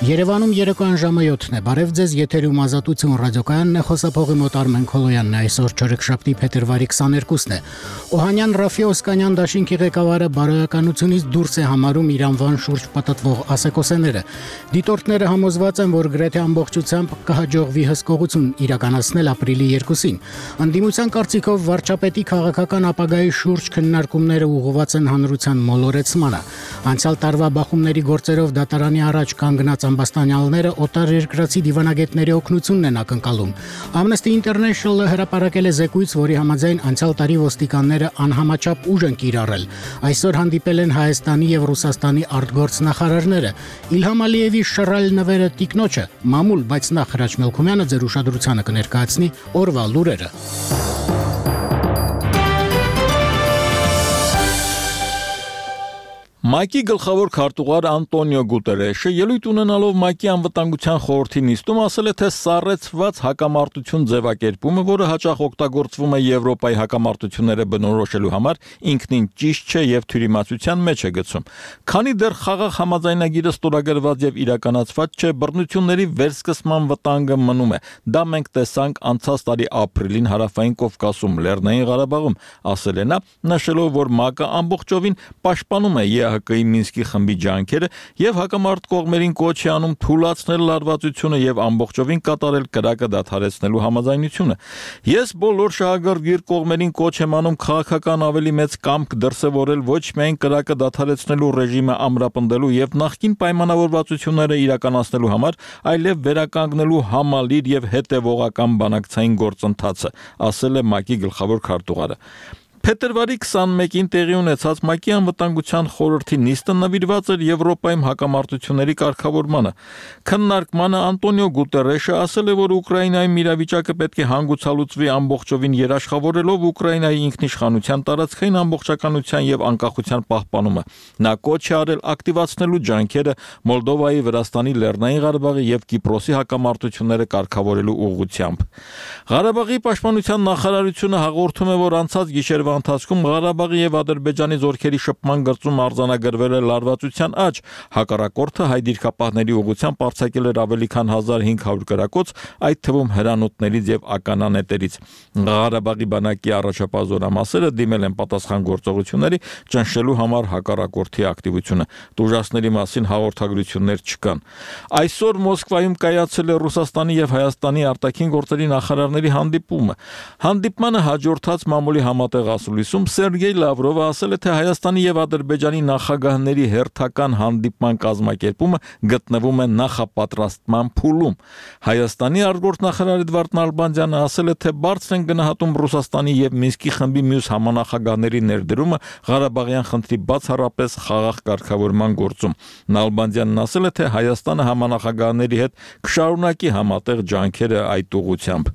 Երևանում երեկոյան ժամը 7-ն է, բարև ձեզ, եթերում Ազատություն ռադիոկայանն է, խոսափողի մոտ Արմեն Քոլոյանն է, այսօր չորեքշաբթի փետրվարի 22-ն է։ Օհանյան Ռաֆի Օսկանյան դաշինքի ղեկավարը բարոյականությունից դուրս է համարում իր անվան շուրջ պատտվող ասեկոսեները։ Դիտորդները համոզված են, որ գրեթե ամբողջությամբ կհաջողվի հսկողություն իրականացնել ապրիլի 2-ին։ Անդիմության կարծիքով վարչապետի քաղաքական ապագայի շուրջ քննարկումները ուղղված են հանրության մոլորեցմանը։ Անցյալ տարվա բախումների գործերով դատարանի առաջ կանգնած ամբաստանյալները օտարերկրացի դիվանագետների օգնությունն են ակնկալում։ Amnesty International-ը հրապարակել է զեկույց, որի համաձայն անցյալ տարի ոստիկանները անհամաչափ ուժ են կիրառել։ Այսօր հանդիպել են Հայաստանի եւ Ռուսաստանի արտգործնախարարները։ Իլհամ Ալիևի շռայլ նվերը տիկնոջը մամուլ, բայց նախ Հրաչ Մելքումյանը ձեր ուշադրությանը կներկայացնի օրվա լուրերը։ ՄԱԿ-ի գլխավոր քարտուղար Անտոնիո Գուտերեշը ելույթ ունենալով ՄԱԿ-ի անվտանգության խորհրդի նիստում ասել է, թե սառեցված հակամարտություն ձևակերպումը, որը հաճախ օգտագործվում է Եվրոպայի հակամարտությունները բնորոշելու համար, ինքնին ճիշտ չէ եւ թյուրիմացության մեջ է գցում։ Քանի դեռ խաղաղ համաձայնագիրը ստորագրված եւ իրականացված չէ, բռնությունների վերսկսման վտանգը մնում է։ Դա մենք տեսանք անցած տարի ապրիլին Հարավային Կովկասում, Լեռնային Ղարաբաղում, ասել է նա, նշելով, որ ՄԱԿ-ը ամբողջովին պաշտպանում է ԵԱՀԿ-ի Մինսկի խմբի ջանքերը եւ հակամարտ կողմերին կոչ է անում թույլատրել լարվածությունը եւ ամբողջովին կատարել կրակը դադարեցնելու համաձայնությունը։ Ես բոլոր շահագրգիռ կողմերին կոչ եմ անում քաղաքական ավելի մեծ կամք դրսևորել ոչ միայն կրակը դադարեցնելու ռեժիմը ամրապնդելու եւ նախկին պայմանավորվածությունները իրականացնելու համար, այլև վերականգնելու համալիր եւ հետեւողական բանակցային գործընթացը, ասել է ՄԱԿ-ի գլխավոր քարտուղարը։ Փետրվարի 21-ին տեղի ունեցած ՄԱԿ-ի անվտանգության խորհրդի նիստը նվիրված էր Եվրոպայում հակամարտությունների կարգավորմանը։ Քննարկմանը Անտոնիո Գուտերեշը ասել է, որ Ուկրաինայում իրավիճակը պետք է հանգուցալուծվի ամբողջովին երաշխավորելով Ուկրաինայի ինքնիշխանության, տարածքային ամբողջականության եւ անկախության պահպանումը։ Նա կոչ է արել ակտիվացնելու ջանքերը Մոլդովայի, Վրաստանի, Լեռնային Ղարաբաղի եւ Կիպրոսի հակամարտությունները կարգավորելու ուղղությամբ։ Ղարաբաղի պաշտպանության նախարարությունը հաղորդում է, որ անցած գիշերվա ընթացքում Ղարաբաղի եւ Ադրբեջանի զորքերի շփման գծում արձանագրվել է լարվածության աճ։ Հակառակորդը հայ դիրքապահների ուղղությամբ արձակել էր ավելի քան 1500 կրակոց, այդ թվում հրանոթներից եւ ականանետերից։ Ղարաբաղի բանակի առաջապահ զորամասերը դիմել են պատասխան գործողությունների, ճնշելու համար հակառակորդի ակտիվությունը։ Տուժածների մասին հաղորդագրություններ չկան։ Այսօր Մոսկվայում կայացել է Ռուսաստանի եւ Հայաստանի արտաքին գործերի նախարարների հանդիպումը։ Հանդիպմանը հաջորդած մամուլի համատեղ ասուլիսում Սերգեյ Լավրովը ասել է, թե Հայաստանի եւ Ադրբեջանի նախագահների հերթական հանդիպման կազմակերպումը գտնվում է նախապատրաստման փուլում։ Հայաստանի արտգործնախարար Էդվարդ Նալբանդյանը ասել է, թե բարձր են գնահատում Ռուսաստանի եւ Մինսկի խմբի մյուս համանախագահների ներդրումը Ղարաբաղյան խնդրի բացառապես խաղաղ կարգավորման գործում։ Նալբանդյանն ասել է, թե Հայաստանը համանախագահների հետ կշարունակի համատեղ ջանքերը այդ ուղղությամբ։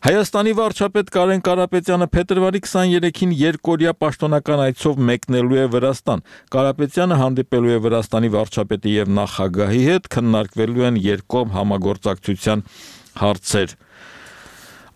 Հայաստանի վարչապետ Կարեն Կարապետյանը փետրվարի 23-ին երկօրյա պաշտոնական այցով մեկնելու է Վրաստան։ Կարապետյանը հանդիպելու է Վրաստանի վարչապետի եւ նախագահի հետ, քննարկվելու են երկկողմ համագործակցության հարցեր։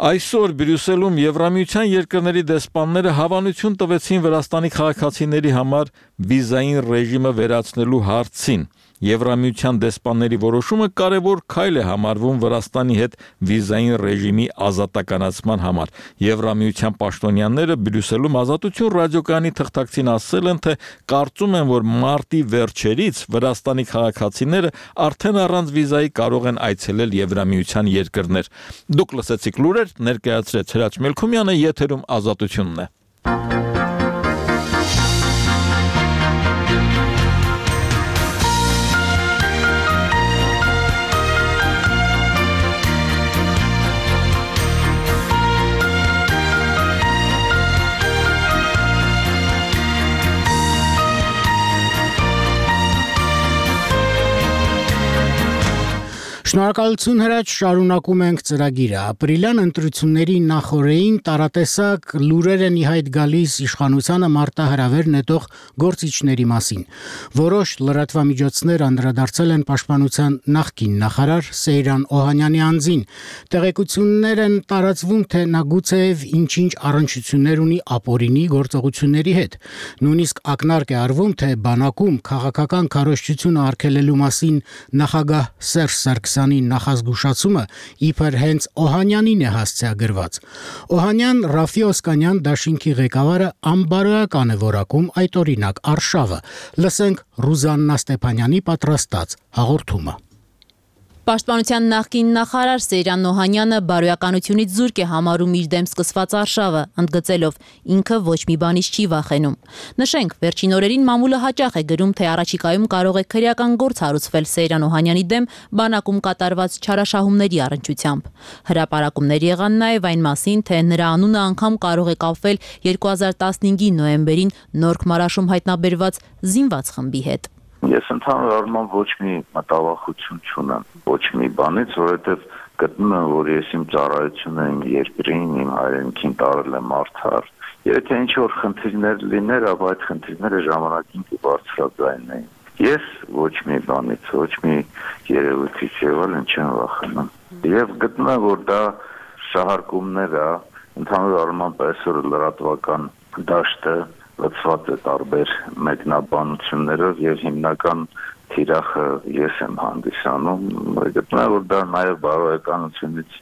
Այսօր Բրյուսելում Եվրամիության երկրների դեսպանները հավանություն տվեցին Վրաստանի քաղաքացիների համար վիզային ռեժիմը վերացնելու հարցին։ Եվրամիության դեսպանների որոշումը կարևոր քայլ է համարվում Վրաստանի հետ վիզային ռեժիմի ազատականացման համար։ Եվրամիության պաշտոնյաները Բրյուսելում Ազատություն ռադիոկայանի թղթակցին ասել են, թե կարծում են, որ մարտի վերջերից Վրաստանի քաղաքացիները արդեն առանց վիզայի կարող են այցելել Եվրամիության երկրներ։ Դուք լսեցիք լուրեր, ներկայացրեց Հրաչ Մելքումյանը, եթերում Ազատությունն է։ Շնորհակալություն Հրաչ, շարունակում ենք ծրագիրը։ Ապրիլյան ընտրությունների նախօրեին տարատեսակ լուրեր են ի հայտ գալիս իշխանությանը մարտահրավեր նետող գործիչների մասին։ Որոշ լրատվամիջոցներ անդրադարձել են պաշտպանության նախկին նախարար Սեյրան Օհանյանի անձին։ Տեղեկություններ են տարածվում, թե նա գուցեև ինչ-ինչ առնչություններ ունի ապօրինի գործողությունների հետ։ Նույնիսկ ակնարկ է արվում, թե բանակում քաղաքական քարոզչությունը արգելելու մասին նախագահ Սերժ Սարգսյանի նախազգուշացումը իբր հենց Օհանյանին է հասցեագրված։ Օհանյան Ռաֆի Օսկանյան դաշինքի ղեկավարը անբարոյական է որակում այդ օրինակ արշավը։ Լսենք Ռուզաննա Ստեփանյանի պատրաստած հաղորդումը։ Պաշտպանության նախկին նախարար Սեյրան Օհանյանը բարոյականությունից զուրկ է համարում իր դեմ սկսված արշավը, ընդգծելով ինքը ոչ մի բանից չի վախենում։ Նշենք, վերջին օրերին մամուլը հաճախ է գրում, թե առաջիկայում կարող է քրեական գործ հարուցվել Սեյրան Օհանյանի դեմ բանակում կատարված չարաշահումների առնչությամբ։ Հրապարակումներ եղան նաև այն մասին, թե նրա անունը անգամ կարող է կապվել 2015-ի նոյեմբերին Նորք Մարաշում հայտնաբերված զինված խմբի հետ։ Ես ընդհանուր առմամբ ոչ մի մտավախություն չունեմ, ոչ մի բանից, որովհետև գտնում եմ, որ ես իմ ծառայությունը իմ երկրին, իմ հայրենիքին տարել եմ արդար։ Եթե ինչ-որ խնդիրներ լիներ, ապա այդ խնդիրները ժամանակին կբարձրաձայնեին։ Ես ոչ մի բանից, ոչ մի երևույթից եղել չեմ վախենում։ Եվ գտնում եմ, որ դա շահարկումներ է, ընդհանուր առմամբ այսօր լրատվական դաշտը լցված է տարբեր մեկնաբանություններով եւ հիմնական թիրախը ես եմ հանդիսանում։ Գտնում եմ, որ դա նաեւ բարոյականությունից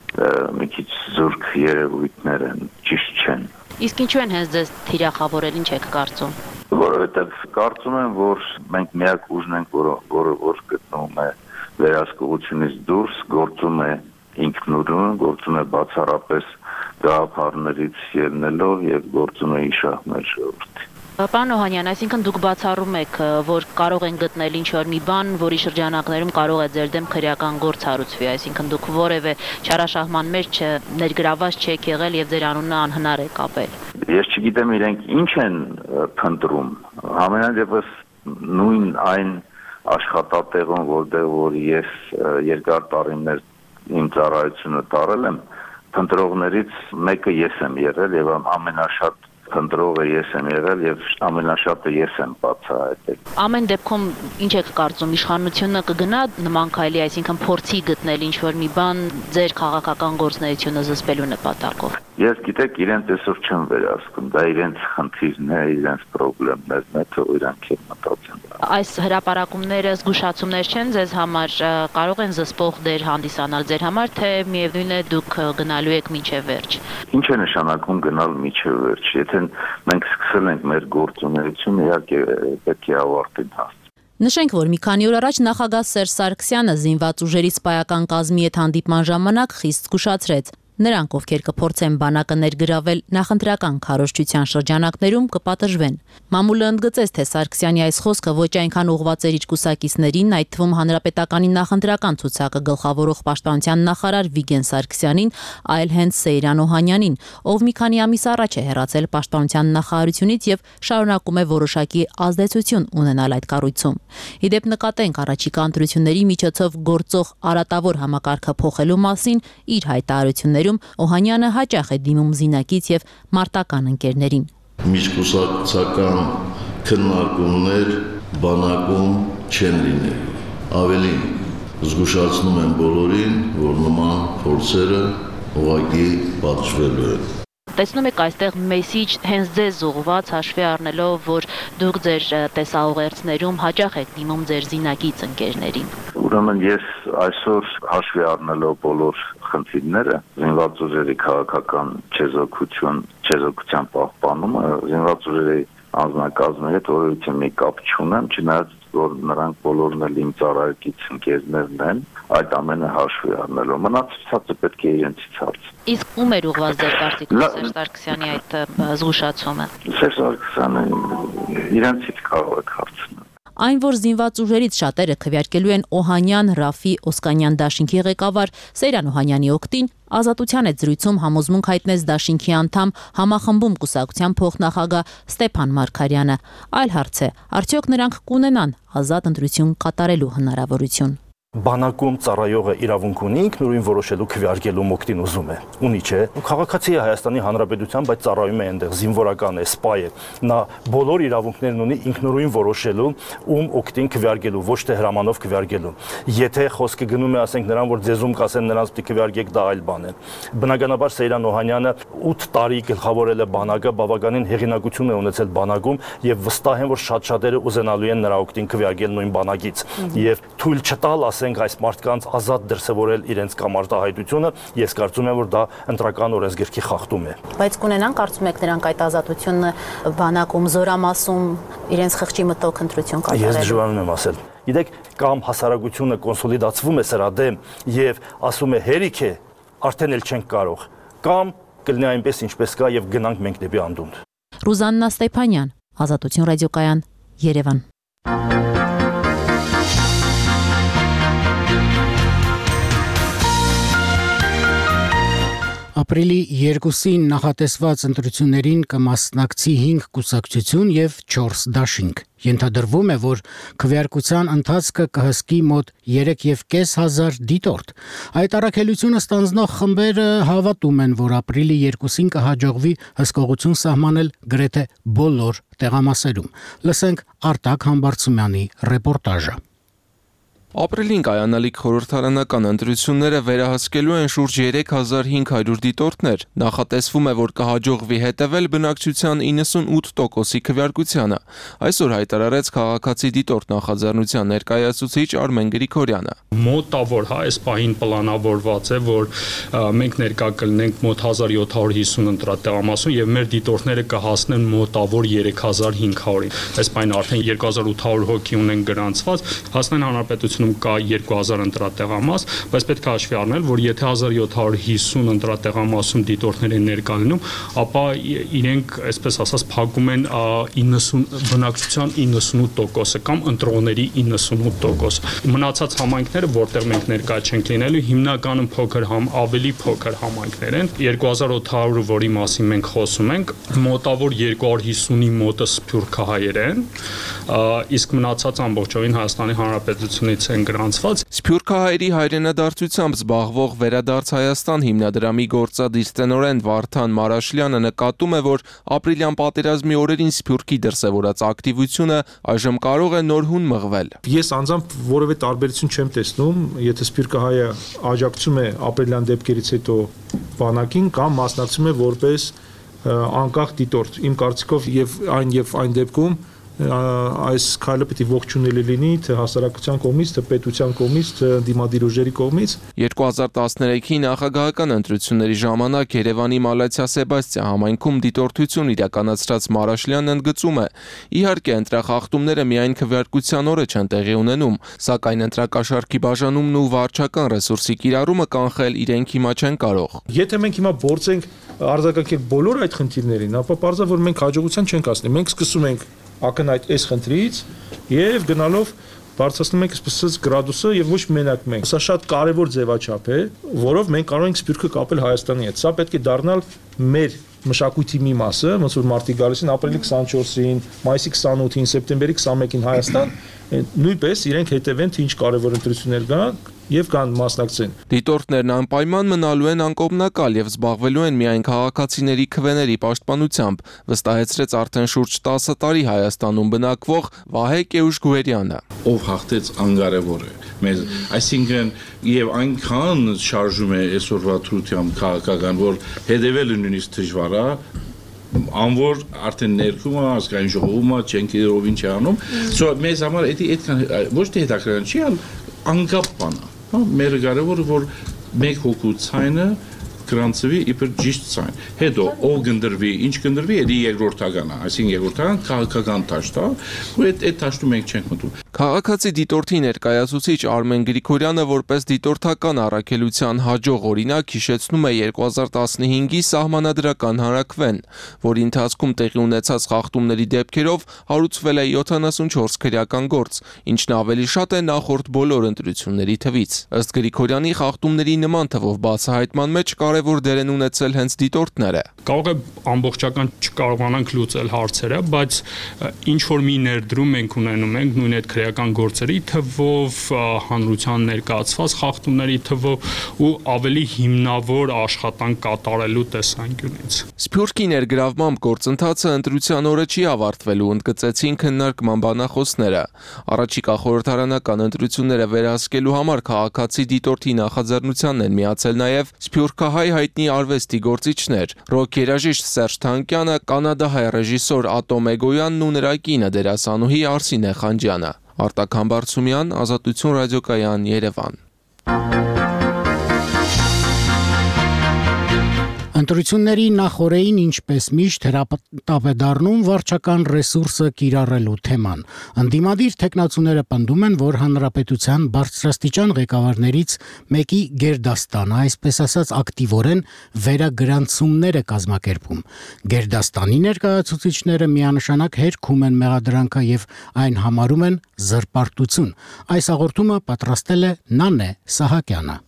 մի քիչ զուրկ երևույթներ են, ճիշտ չեն։ Իսկ ինչու են հենց ձեզ թիրախավորել, ինչ եք կարծում։ Որովհետեւ կարծում եմ, որ մենք միակ ուժն ենք, որը գտնվում է վերահսկողությունից դուրս, գործում է ինքնուրույն, գործում է բացառապես գաղափարներից ելնելով եւ գործում է իշահ մեր ժողովրդի։ Պարոն Օհանյան, այսինքն դուք բացառում եք, որ կարող են գտնել ինչ-որ մի բան, որի շրջանակներում կարող է ձեր դեմ քրեական գործ հարուցվի, այսինքն դուք որևէ չարաշահման մեջ ներգրաված չեք եղել եւ ձեր անունը անհնար է կապել։ Ես չգիտեմ իրենք ինչ են փնտրում։ Համենայնդեպս նույն այն աշխատատեղում, որ ես երկար տարիներ իմ ծառայությունը տարել եմ, փնտրողներից մեկը ես եմ եղել եւ ամենաշատ փնտրողը ես եմ եղել եւ ամենաշատը ես եմ բացահայտել։ Ամեն դեպքում ինչ եք կարծում, իշխանությունը կգնա նման քայլի, այսինքն փորձի գտնել ինչ-որ մի բան ձեր քաղաքական գործունեությունը զսպելու նպատակով։ Ես գիտեք, իրենց այսօր չեմ վերահսկում, դա իրենց խնդիրն է, իրենց խնդիրներն է, թե իրանք են մտածում։ Այս հրապարակումները զգուշացումներ չեն ձեզ համար, կարող են զսպող դեր հանդիսանալ ձեր համար, թե միևնույն է դուք գնալու եք մինչև վերջ։ Ինչ է նշանակում գնալ մինչև վերջ։ Եթե մենք սկսել ենք մեր գործունեությունը, իհարկե պետք է ավարտին հասցնել։ Նշենք, որ մի քանի օր առաջ նախագահ Սերժ Սարգսյանը զինված ուժերի սպայական կազմի հետ հանդիպման ժամանակ խիստ զգուշացրեց. նրանք, ովքեր կփորձեն բանակը ներգրավել նախընտրական քարոզչության շրջանակներում, կպատժվեն։ Մամուլը ընդգծեց, թե Սարգսյանի այս խոսքը ոչ այնքան ուղղված էր իր կուսակիցներին, այդ թվում հանրապետականի նախընտրական ցուցակը գլխավորող պաշտպանության նախարար Վիգեն Սարգսյանին, այլ հենց Սեյրան Օհանյանին, ով մի քանի ամիս առաջ է հեռացել պաշտպանության նախարարությունից եւ շարունակում է որոշակի ազդեցություն ունենալ այդ կառույցում։ Իդեպ նկատենք առաջիկա ընտրությունների միջոցով գործող արատավոր համակարգը փոխելու մասին իր հայտարարություններում Օհանյանը հաճախ է դիմում զինակից եւ մարտական ընկերներին։ Միջկուսակցական քննարկումներ բանակում չեն լինելու։ Ավելին, զգուշացնում եմ բոլորին, որ նման փորձերը ուղղակի պատժվելու են։ Տեսնում եք այստեղ մեսիջ հենց ձեզ ուղղված, հաշվի առնելով, որ դուք ձեր տեսաուղերձներում հաճախ եք դիմում ձեր զինակից ընկերներին։ Ուրեմն ես այսօր հաշվի առնելով բոլոր խնդիրները, զինված ուժերի քաղաքական չեզոքության պահպանումը, զինված ուժերի անձնակազմի հետ որևէ մի կապ չունեմ, չնայած որ նրանք բոլորն էլ իմ ծառայակից ընկերներն են, այդ ամենը հաշվի առնելով։ Մնացածը պետք է իրենցից հարցնել։ Իսկ ում էր ուղղված ձեր կարծիքով Սերժ Սարգսյանի այդ զգուշացումը։ Սերժ Սարգսյանը իրենցից կարող եք հարցնել։ Այն, որ զինված ուժերից շատերը քվեարկելու են Օհանյան, Ռաֆի, Օսկանյան դաշինքի ղեկավար Սեյրան Օհանյանի օգտին, Ազատության այդ զրույցում համոզմունք հայտնեց դաշինքի անդամ համախմբում կուսակցության փոխնախագահ Ստեփան Մարգարյանը։ Այլ հարց է, արդյոք նրանք կունենան ազատ ընտրություն կատարելու հնարավորություն։ Բանակում ծառայողը իրավունք ունի ինքնուրույն որոշելու քվեարկելու մոկտին ուզում է։ Ունի չէ։ Քաղաքացի է Հայաստանի Հանրապետության, բայց ծառայում է այնտեղ, զինվորական է, սպա է։ Նա բոլոր իրավունքներն ունի ինքնուրույն որոշելու ում օկտին քվեարկելու, ոչ թե հրամանով քվեարկելու։ Եթե խոսքը գնում է, ասենք նրան, որ ձեզում կասեն նրանց պիտի քվեարկեք, դա այլ բան է։ Բնականաբար Սեյրան Օհանյանը 8 տարի գլխավորել է բանակը, բավականին հեղինակություն է ունեցել բանակում եւ վստահ եմ, որ շատ-շատերը ուզենալու են նրա օկտին քվեարկել նույն բանակից։ Եվ թույլ չտալ ասենք այս մարդկանց ազատ դրսևորել իրենց կամարտահայտությունը, ես կարծում եմ, որ դա ընտրական օրենսգրքի խախտում է։ Բայց կունենան կարծում եք նրանք այդ ազատությունը բանակում, զորամասում իրենց խղճի մտով ընտրություն կատարել։ Ես դժվարանում եմ ասել։ Գիտեք, կամ հասարակությունը կոնսոլիդացվում է սրա դեմ եւ ասում է հերիք է, արդեն էլ չենք կարող, կամ կլինի այնպես ինչպես կա եւ գնանք մենք դեպի անդունդ։ Ռուզաննա Ստեփանյան, Ազատություն ռադիոկայան, Երևան։ Ապրիլի 2-ին նախատեսված ընտրություններին կմասնակցի 5 կուսակցություն եւ 4 դաշինք։ Ենթադրվում է, որ քվեարկության ընթացքը կհսկի մոտ 3,500 դիտորդ։ Այդ առաքելությունը ստանձնող խմբերը հավատում են, որ ապրիլի 2-ին կհաջողվի հսկողություն սահմանել գրեթե բոլոր տեղամասերում։ Լսենք Արտակ Համբարձումյանի ռեպորտաժը։ Ապրիլին կայանալիք խորհրդարանական ընտրությունները վերահսկելու են շուրջ 3500 դիտորդներ։ Նախատեսվում է, որ կհաջողվի հետևել բնակչության 98%-ի քվեարկությանը։ Այսօր հայտարարեց քաղաքացի դիտորդ նախաձեռնության ներկայացուցիչ Արմեն Գրիգորյանը։ Մոտավոր, այս պահին պլանավորված է, որ մենք ներկա կլինենք մոտ 1750 ընտրատեղամասում եւ մեր դիտորդները կհասնեն մոտավոր 3500-ին։ Այս պահին արդեն 2800 հոգի ունեն գրանցված, հասնեն հանրապետություն կա 2000 ընտրատեղամաս, բայց պետք է հաշվի առնել, որ եթե 1750 ընտրատեղամասում դիտորդներ են ներկա լինում, ապա իրենք, այսպես ասած, փակում են 90 բնակչության 98%-ը կամ ընտրողների 98%-ը։ Մնացած համայնքները, որտեղ մենք ներկա չենք լինելու, հիմնականում ավելի փոքր համայնքներ են։ 2800-ը, որի մասին մենք խոսում ենք, մոտավոր 250-ի մոտը սփյուռքահայեր են, իսկ մնացած ամբողջովին Հայաստանի Հանրապետությունից են գրանցված։ Սփյուռքահայերի հայրենադարձությամբ զբաղվող Վերադարձ Հայաստան հիմնադրամի գործադիր տնօրեն Վարդան Մարաշլյանը նկատում է, որ ապրիլյան պատերազմի օրերին Սփյուռքի դրսևորած ակտիվությունը այժմ կարող է նորհուն մղվել։ Ես անձամբ որևէ տարբերություն չեմ տեսնում, եթե Սփյուռքահայը աջակցում է ապրիլյան դեպքերից հետո բանակին կամ մասնակցում է որպես անկախ դիտորդ։ Իմ կարծիքով եւ այն դեպքում այս քայլը պիտի ողջունելի լինի թե հասարակության կողմից, թե պետության կողմից, թե դիմադիր ուժերի կողմից։ 2013-ի նախագահական ընտրությունների ժամանակ Երևանի Մալաթիա Սեբաստիա համայնքում դիտորդություն իրականացրած Մարաշլյանն ընդգծում է. իհարկե ընտրախախտումները միայն քվեարկության օրը չեն տեղի ունենում, սակայն ընտրակաշառքի բաժանումն ու վարչական ռեսուրսի կիրառումը կանխել իրենք հիմա չեն կարող։ Եթե մենք հիմա փորձենք արձագանքել բոլոր այդ խնդիրներին, ապա պարզա որ մենք հաջողության չենք հասնի։ Մենք սկսում ենք ակնհայտ այս խնդրից եւ գնալով բարձրացնում ենք այսպես գրադուսը եւ ոչ մենակ մենք։ Սա շատ կարեւոր ձևաչափ է, որով մենք կարող ենք Սփյուռքը կապել Հայաստանի հետ։ Սա պետք է դառնալ մեր մշակույթի մի մասը, ոնց որ մարտի գալիս են ապրիլի 24-ին, մայիսի 28-ին, սեպտեմբերի 21-ին Հայաստան, նույնպես իրենք հետևեն թե ինչ կարևոր ընտրություններ կան եւ կան մասնակցեն։ Դիտորդներն անպայման մնալու են անկողմնակալ եւ զբաղվելու են միայն քաղաքացիների քվեների պաշտպանությամբ, վստահեցրեց արդեն շուրջ 10 տարի Հայաստանում բնակվող Վահե Կեուշգուերյանը։ Ով հաղթեց անկարևոր է մեզ, այսինքն եւ այնքան շարժում է այսօրվա թրությամբ քաղաքական, որ հետևելը նույնիսկ դժվար է, անոր արդեն ներկումը ազգային ժողովումը չենք իրով ինչ անում, մեզ համար այդքան ոչ թե հետաքրքրական չի, այլ անկապ բան է։ Մեր կարևորը որ մեկ հոգու ցայնը գրանցվի իբր ճիշտ ցայն։ Հետո ով գնդրվի, ինչ գնդրվի, դա երկրորդական է, այսինքն երկրորդական քաղաքական դաշտ է, ու այդ դաշտում մենք չենք մտնում։ Քաղաքացի դիտորդի ներկայացուցիչ Արմեն Գրիգորյանը որպես դիտորդական առաքելության հաջող օրինակ հիշեցնում է 2015-ի սահմանադրական հանրաքվեն, որի ընթացքում տեղի ունեցած խախտումների դեպքերով հարուցվել է 74 քրեական գործ, ինչն ավելի շատ է նախորդ բոլոր ընտրությունների թվից։ Ըստ Գրիգորյանի խախտումների նման թվով բացահայտման մեջ կարևոր կարևոր դեր են ունեցել հենց դիտորդները։ Կարող է ամբողջական չկարողանանք լուծել հարցերը, բայց ինչ որ մի ներդրում մենք ունենում ենք նույն այդ քրեական գործերի թվով, հանրության ներկայացված խախտումների թվով ու ավելի հիմնավոր աշխատանք կատարելու տեսանկյունից։ Սփյուռքի ներգրավմամբ գործընթացը ընտրության օրը չի ավարտվելու, ընդգծեցին քննարկման բանախոսները։ Առաջիկա խորհրդարանական ընտրությունները վերահսկելու համար քաղաքացի դիտորդի նախաձեռնությանն են միացել նաև սփյուռքահայ հայտնի արվեստի գործիչներ՝ ռոք երաժիշտ Սերժ Թանկյանը, կանադահայ ռեժիսոր Ատոմ Էգոյանն ու նրա կինը դերասանուհի Արսինե Խանջյանը։ Արտակ Համբարձումյան, Ազատություն ռադիոկայան, Երևան։ Ընտրությունների նախօրեին ինչպես միշտ հրապարակում վարչական ռեսուրսը կիրառելու թեման։ Ընդդիմադիր թեկնածուները պնդում են, որ հանրապետության բարձրաստիճան ղեկավարներից մեկի գերդաստանը, այսպես ասած, ակտիվորեն վերագրանցումներ է կազմակերպում։ Գերդաստանի ներկայացուցիչները միանշանակ հերքում են մեղադրանքը եւ այն համարում են զրպարտություն։ Այս հաղորդումը պատրաստել է Նանե Սահակյանը։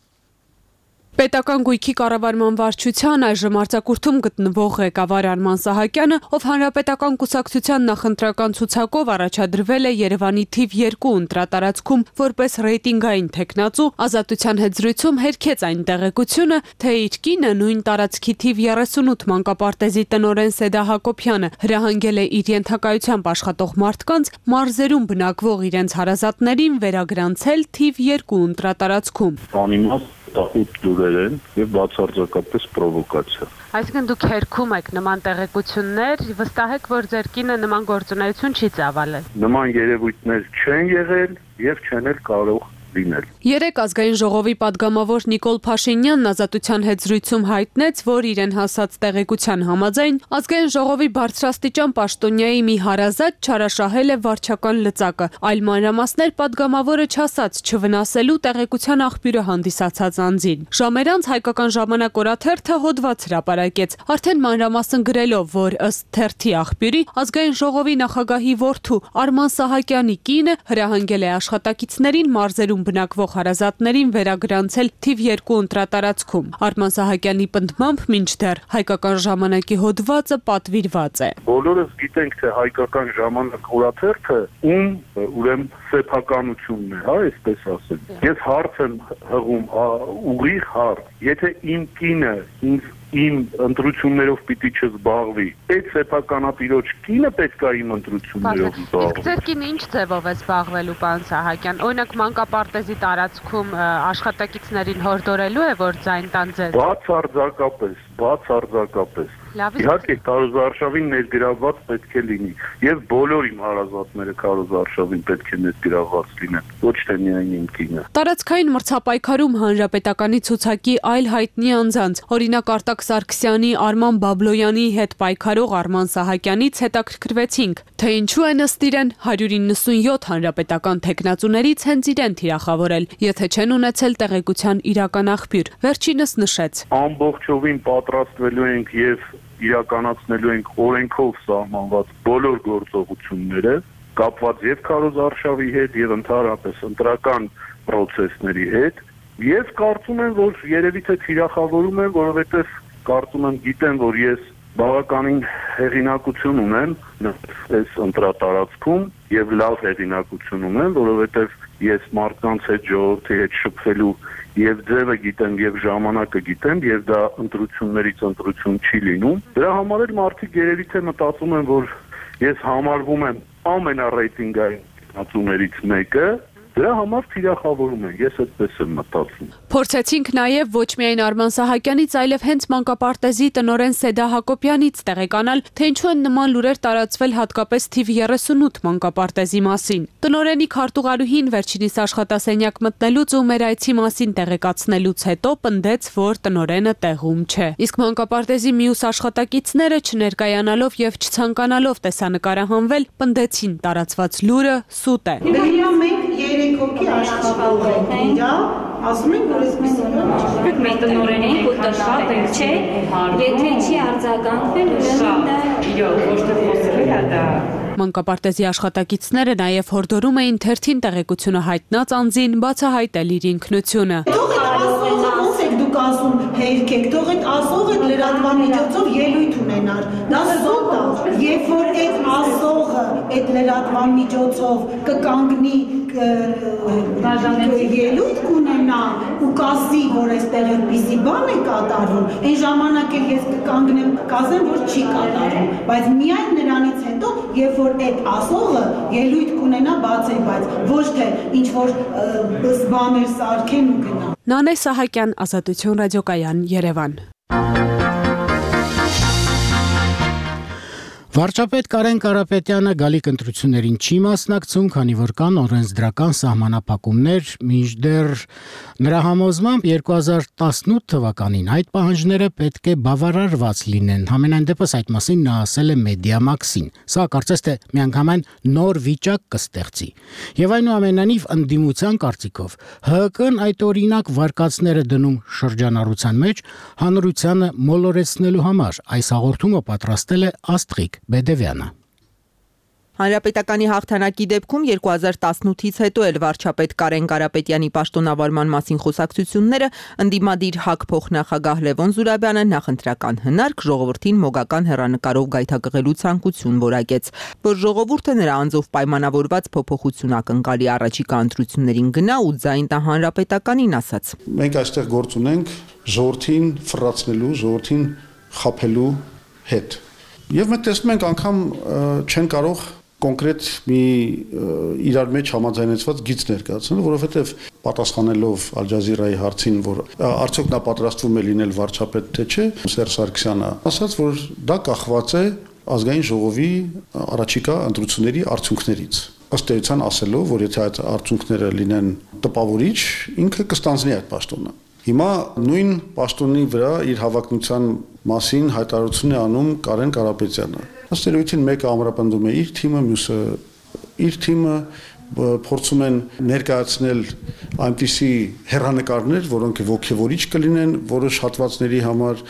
Պետական գույքի կառավարման վարչության այժմ արձակուրդում գտնվող ղեկավար Արման Սահակյանը, ով հանրապետական կուսակցության նախընտրական ցուցակով առաջադրվել է Երևանի թիվ 2 ընտրատարածքում որպես ռեյտինգային թեկնածու, Ազատության հետ զրույցում հերքեց այն տեղեկությունը, թե իր կինը նույն տարածքի թիվ 38 մանկապարտեզի տնօրեն Սեդա Հակոբյանը հրահանգել է իր ենթակայությամբ աշխատող մարդկանց մարզերում բնակվող իրենց հարազատներին վերագրանցել թիվ 2 ընտրատարածքում։ Տախուտ դուրեր են եւ բացարձակապես պրովոկացիա։ Այսինքն դուք հերքում եք նման տեղեկություններ, վստահ եք, որ ձեր կինը նման գործունեություն չի ծավալել։ Նման երևույթներ չեն եղել եւ չեն էլ կարող լինել։ Երեկ ազգային ժողովի падգամավոր Նիկոլ Փաշինյանն Ազատության հետ զրույցում հայտնեց, որ իրեն հասած տեղեկության համաձայն ազգային ժողովի բարձրաստիճան պաշտոնյայի մի հարազատ չարաշահել է վարչական լծակը, այլ մանրամասներ падգամավորը չասած չվնասելու տեղեկության աղբյուրը հանդիսացած անձին։ Ժամեր անց Հայկական ժամանակ օրաթերթը հոդված հրապարակեց, արդեն մանրամասն գրելով, որ ըստ թերթի աղբյուրի ազգային ժողովի նախագահի որդու Արման Սահակյանի կինը հրահանգել է աշխատակիցներին մարզերում բնակվող հարազատներին վերագրանցել թիվ 2 ընտրատարածքում։ Արման Սահակյանի պնդմամբ մինչդեռ Հայկական ժամանակի հոդվածը պատվիրված է։ Բոլորս գիտենք, թե Հայկական ժամանակ օրաթերթը ուրեմն սեփականությունն է, այսպես ասեմ։ Ես հարց եմ հղում, ուղիղ հարց, եթե իմ կինը իմ ընտրություններով պիտի չզբաղվի, այդ սեփականատիրոջ կինը պետք է իմ ընտրություններով զբաղվի։ Ձեր կինը ինչ ձևով է զբաղվելու, պարոն Սահակյան։ Օրինակ մանկապարտեզի տարածքում աշխատակիցներին հորդորելու է, որ ձայն տան ձեզ։ Բացարձակապես։ Իհարկե քարոզարշավին ներգրավված պետք է լինի եւ բոլոր իմ հարազատները քարոզարշավին պետք է ներգրավված լինեն, ոչ թե միայն իմ կինը։ Տարածքային մրցապայքարում հանրապետականի ցուցակի այլ հայտնի անձանց, օրինակ Արտակ Սարգսյանի, Արման Բաբլոյանի հետ պայքարող Արման Սահակյանից հետաքրքրվեցինք, թե ինչու են ըստ իրեն 197 հանրապետական թեկնածուներից հենց իրեն թիրախավորել, եթե չեն ունեցել տեղեկության իրական աղբյուր։ Վերջինս նշեց. Ամբողջովին պատրաստվելու ենք եւ իրականացնելու ենք օրենքով սահմանված բոլոր գործողությունները, կապված եւ քարոզարշավի հետ եւ ընդհանրապես ընտրական process-ների հետ, եւ կարծում եմ, որ երևի թե թիրախավորում են, որովհետեւ կարծում եմ գիտեն, որ ես բավականին հեղինակություն ունեմ այս ընտրատարածքում եւ լավ հեղինակություն ունեմ, որովհետեւ ես մարդկանց հետ ժողովրդի հետ շփվելու եւ ձևը գիտեմ եւ ժամանակը գիտեմ եւ դա ընտրություններից ընտրություն չի լինում։ Դրա համար էլ մարդիկ երևի թե մտածում են, որ ես համարվում եմ ամենառեյտինգային տեխնացուներից մեկը, դրա համար թիրախավորում են, ես այդպես եմ մտածում։ Փորձեցինք նաև ոչ միայն Արման Սահակյանից, այլև հենց մանկապարտեզի տնօրեն Սեդա Հակոբյանից տեղեկանալ, թե ինչու են նման լուրեր տարածվել հատկապես թիվ 38 մանկապարտեզի մասին։ Տնօրենի քարտուղարուհին վերջինիս աշխատասենյակ մտնելուց ու մեր այցի մասին տեղեկացնելուց հետո պնդեց, որ տնօրենը տեղում չէ։ Իսկ մանկապարտեզի մյուս աշխատակիցները չներկայանալով եւ չցանկանալով տեսանկարահանվել, պնդեցին տարածված լուրը սուտ է։ Երեք հոգի աշխատող են իրա, ասում են, որ այսպես մենք տնօրենին կուտաշատ ենք, չէ, եթե չի արձագանքվել, ուրեմն դա ոչ թե խոսել է դա։ Մանկապարտեզի աշխատակիցները նաև հորդորում էին թերթին տեղեկությունը հայտնած անձին բացահայտել իր ինքնությունը։ Ոնց եք դուք ասում, հերքեք, թող այդ ասողը լրատվան միջոցով ելույթ ունենար։ Դա սոտ է, երբ որ այդ ասողը այդ լրատվան միջոցով կկանգնի ելույթ կունենա ու կասի, որ այստեղ այդպիսի բան է կատարվում, այն ժամանակ էլ ես կկանգնեմ կասեմ, որ չի կատարվում, բայց միայն նրանից հետո, երբ որ այդ ասողը ելույթ կունենա բացել, բայց ոչ թե ինչ որ բաներ սարքեն ու գնա։ Նանե Սահակյան, Ազատություն ռադիոկայան, Երևան։ Վարչապետ Կարեն Կարապետյանը գալիք ընտրություններին չի մասնակցում, քանի որ կան օրենսդրական սահմանափակումներ, մինչդեռ նրա համոզմամբ 2018 թվականին այդ պահանջները պետք է բավարարված լինեն։ Համենայն դեպս այդ մասին նա ասել է Մեդիամաքսին։ Սա կարծես թե միանգամայն նոր վիճակ կստեղծի։ Եվ այնուամենայնիվ ընդդիմության կարծիքով ՀՀԿ-ն այդ օրինակ վարկածները դնում շրջանառության մեջ հանրությանը մոլորեցնելու համար։ Այս հաղորդումը պատրաստել է Աստղիկ Բեդևյանը։ Հանրապետականի հաղթանակի դեպքում 2018-ից հետո էլ վարչապետ Կարեն Կարապետյանի պաշտոնավարման մասին խոսակցությունները ընդդիմադիր ՀԱԿ փոխնախագահ Լևոն Զուրաբյանը նախընտրական հնարք ժողովրդին մոգական հեռանկարով գայթակղելու ցանկություն որակեց, որ ժողովուրդը նրա անձով պայմանավորված փոփոխություն ակնկալի առաջիկա ընտրություններին գնա ու ձայն տա հանրապետականին ասաց։ Մենք այստեղ գործ ունենք ժողովրդին ֆրացնելու, ժողովրդին խաբելու հետ։ Եվ մենք տեսնում ենք անգամ չեն կարող կոնկրետ մի իրար մեջ համաձայնեցված գիծ ներկայացնել, որովհետև պատասխանելով Ալ Ջազիրայի հարցին, որ արդյոք նա պատրաստվում է լինել վարչապետ թե չէ, Սերժ Սարգսյանը ասաց, որ դա կախված է ազգային ժողովի առաջիկա ընտրությունների արդյունքներից։ Ըստ էության ասելով, որ եթե այդ արդյունքները լինեն տպավորիչ, ինքը կստանձնի այդ պաշտոնը։ Հիմա նույն պաշտոնի վրա իր հավակնության մասին հայտարարություն է անում Կարեն Կարապետյանը։ Ըստ էության մեկը ամրապնդում է իր թիմը, մյուսը իր թիմը, փորձում են ներկայացնել այնպիսի հեռանկարներ, որոնք ոգևորիչ կլինեն որոշ հատվածների համար,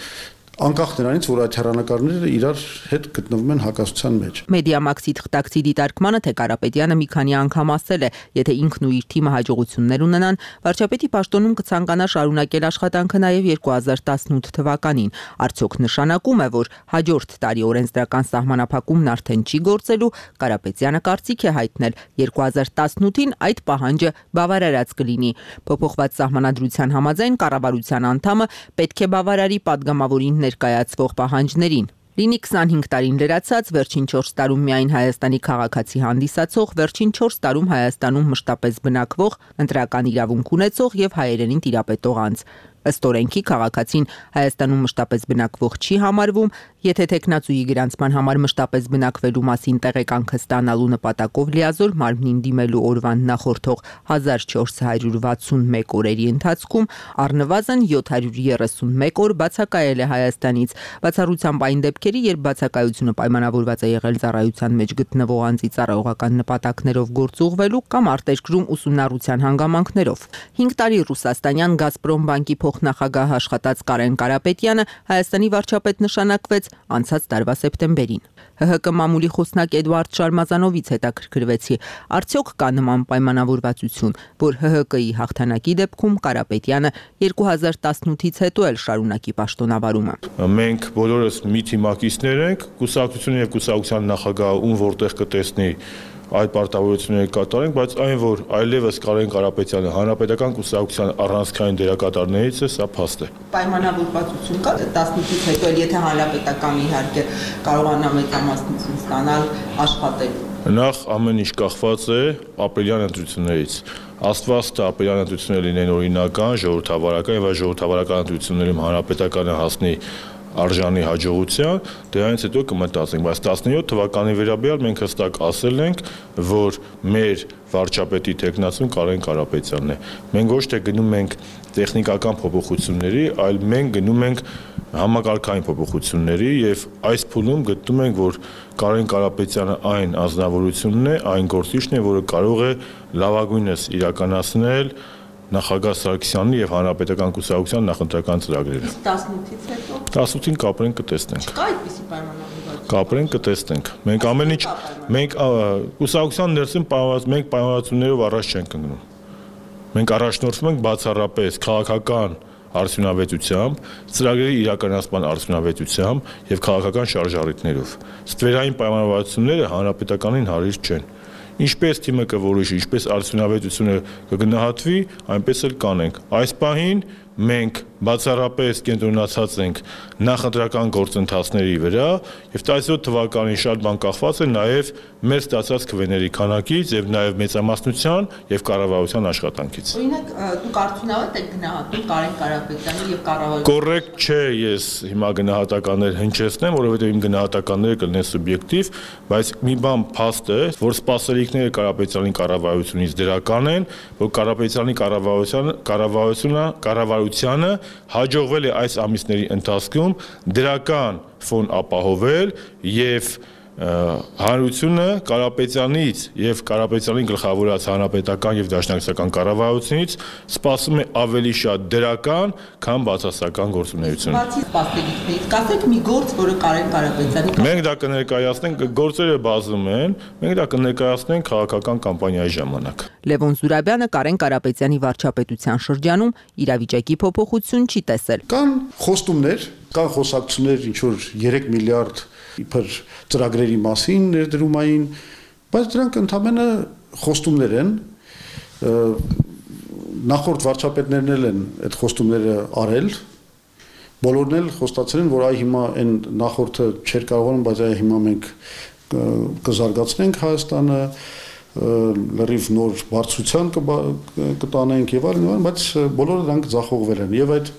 անկախ նրանից, որ այդ հեռանկարները իրար հետ գտնվում են հակասության մեջ։ Մեդիամաքսի թղթակցի դիտարկմանը, թե Կարապետյանը մի քանի անգամ ասել է, եթե ինքն ու իր թիմը հաջողություններ ունենան, վարչապետի պաշտոնում կցանկանա շարունակել աշխատանքը նաև 2018 թվականին։ Արդյոք նշանակում է, որ հաջորդ տարի օրենսդրական սահմանափակումն արդեն չի գործելու, Կարապետյանը կարծիք է հայտնել 2018-ին այդ պահանջը բավարարած կլինի։ Փոփոխված սահմանադրության համաձայն կառավարության անդամը պետք է բավարարի падգամավորին ներկայացվող պահանջներին։ Լինի 25 տարին լրացած, վերջին 4 տարում միայն Հայաստանի քաղաքացի հանդիսացող, վերջին 4 տարում Հայաստանում մշտապես բնակվող, ընտրական իրավունք ունեցող եւ հայերենին տիրապետող անձ։ Ըստ օրենքի քաղաքացին Հայաստանում մշտապես բնակվող չի համարվում, եթե տեխնացուի գրանցման համար մշտապես բնակվելու մասին տեղեկանքը ստանալու նպատակով լիազոր մարմնին դիմելու օրվան նախորդող 1461 օրերի ընթացքում առնվազն 731 օր բացակայել է Հայաստանից։ Բացառությամբ այն դեպքերի, երբ բացակայությունը պայմանավորված է եղել ծառայության մեջ գտնվող անձի ծառայողական նպատակներով գործուղվելու կամ արտերկրում ուսումնառության հանգամանքներով։ 5 տարի ռուսաստանյան Գազպրոմ բանկի փոխնախագահ աշխատած Կարեն Կարապետյանը Հայաստանի վարչապետ նշանակվեց անցած տարվա սեպտեմբերին։ ՀՀԿ մամուլի խոսնակ Էդուարդ Շարմազանովից հետաքրքրվեցի, արդյոք կա նման պայմանավորվածություն, որ ՀՀԿ-ի հաղթանակի դեպքում Կարապետյանը 2018-ից հետո էլ շարունակի պաշտոնավարումը։ Մենք բոլորս մի թիմակիցներ ենք, կուսակցությունը եւ կուսակցության նախագահը ում որտեղ կտեսնի այդ պարտավորությունները կատարենք, բայց այն, որ այլևս Կարեն Կարապետյանը հանրապետական կուսակցության առանցքային դերակատարներից է, սա փաստ է։ Պայմանավորվածություն կա 18-ից հետո, եթե հանրապետականը իհարկե կարողանա մեծամասնություն ստանալ, աշխատել։ Նախ ամեն ինչ կախված է ապրիլյան ընտրություններից։ Աստված տա ապրիլյան ընտրությունները լինեն օրինական, ժողովրդավարական եւ այս ժողովրդավարական ընտրություններում հանրապետականը հասնի արժանի հաջողության, դրանից հետո կմտածենք, բայց 17 թվականի վերաբերյալ մենք հստակ ասել ենք, որ մեր վարչապետի տեխնացուն Կարեն Կարապետյանն է։ Մենք ոչ թե գնում ենք տեխնիկական փոփոխությունների, այլ մենք գնում ենք համակարգային փոփոխությունների եւ այս փուլում գտնում ենք, որ Կարեն Կարապետյանը այն անձնավորությունն է, այն գործիչն է, որը կարող է լավագույնս իրականացնել նախագահ Սարգսյանի եւ հանրապետական կուսակցության նախընտրական ծրագրերը։ 18-ից հետո 18-ին կապրենք կտեսնենք։ Չկա այդպիսի պայմանավորվածություն։ Կապրենք կտեսնենք։ Մենք ամեն ինչ մենք կուսակցության ներսում մենք պայմանավորվածություններով առաջ չենք ընկնում։ Մենք առաջնորդվում ենք բացառապես քաղաքական արդյունավետությամբ, ծրագրերի իրականացման արդյունավետությամբ եւ քաղաքական շարժառիթներով։ Ստվերային պայմանավորվածությունները հանրապետականին հարիր չեն։ Ինչպես թիմը կորոշի, ինչպես արդյունավետությունը կգնահատվի, այնպես էլ կանենք։ Այս պահին մենք բացառապես կենտրոնացած ենք նախընտրական գործընթացների վրա եւ 17 թվականին շատ բան կախված է նաեւ մեր ստացած քվեների քանակից եւ նաեւ մեծամասնության եւ կառավարության աշխատանքից։ Օրինակ, դուք արդյունավետ եք գնահատում Կարեն Կարապետյանի եւ կառավարության։ Կոռեկտ չէ ես հիմա գնահատականներ հնչեցնեմ, որովհետեւ իմ գնահատականները կլինեն սուբյեկտիվ, բայց մի բան փաստ է, որ սպասելիքները Կարապետյանի կառավարությունից դրական են, որ Կարապետյանի կառավարությանը հաջողվել է այս ամիսների ընթացքում դրական ֆոն ապահովել եւ հանրությունը Կարապետյանից եւ Կարապետյանի գլխավորած հանրապետական եւ դաշնակցական կառավարությունից սպասում է ավելի շատ դրական, քան բացասական գործունեություն։ Բացի սպասելիքներից, կասեք մի գործ, որը Կարեն Կարապետյանի Մենք դա կներկայացնենք, գործերը բազում են, մենք դա կներկայացնենք քաղաքական կամպանիայի ժամանակ։ Լևոն Զուրաբյանը Կարեն Կարապետյանի վարչապետության շրջանում իրավիճակի փոփոխություն չի տեսել։ Կան խոստումներ, կան խոսակցություններ, ինչ որ 3 միլիարդ իբր ծրագրերի մասին ներդրումային, բայց դրանք ընդհանրապես խոստումներ են, նախորդ վարչապետներն են այդ խոստումները արել, բոլորն էլ խոստացել են, որ այ հիմա այն նախորդը չէր կարողանում, բայց այ հիմա մենք կզարգացնենք Հայաստանը, լրիվ նոր բարձրության կտանենք եւ այլն, բայց բոլորը դրանք ձախողվել են եւ այդ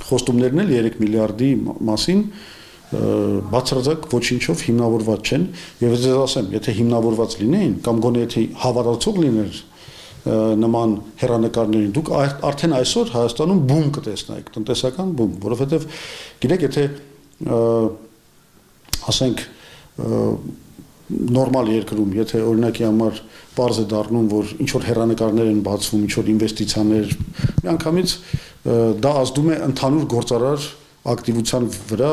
խոստումներն էլ 3 միլիարդի մասին բացարձակ ոչինչով հիմնավորված չեն եւ ես ասեմ, եթե հիմնավորված լինեին կամ գոնե եթե հավատացող լիներ նման հերանեկարներին, դուք արդեն այսօր Հայաստանում բում կտեսնայիք, տնտեսական բում, որովհետեւ գիտեք, եթե ասենք նորմալ երկրում, եթե օրինակի համար պարզ է դառնում, որ ինչ որ հերանեկարներ են բացվում, ինչ որ ինվեստիցիաներ, միանգամից դա ազդում է ընդհանուր գործարար ակտիվության վրա,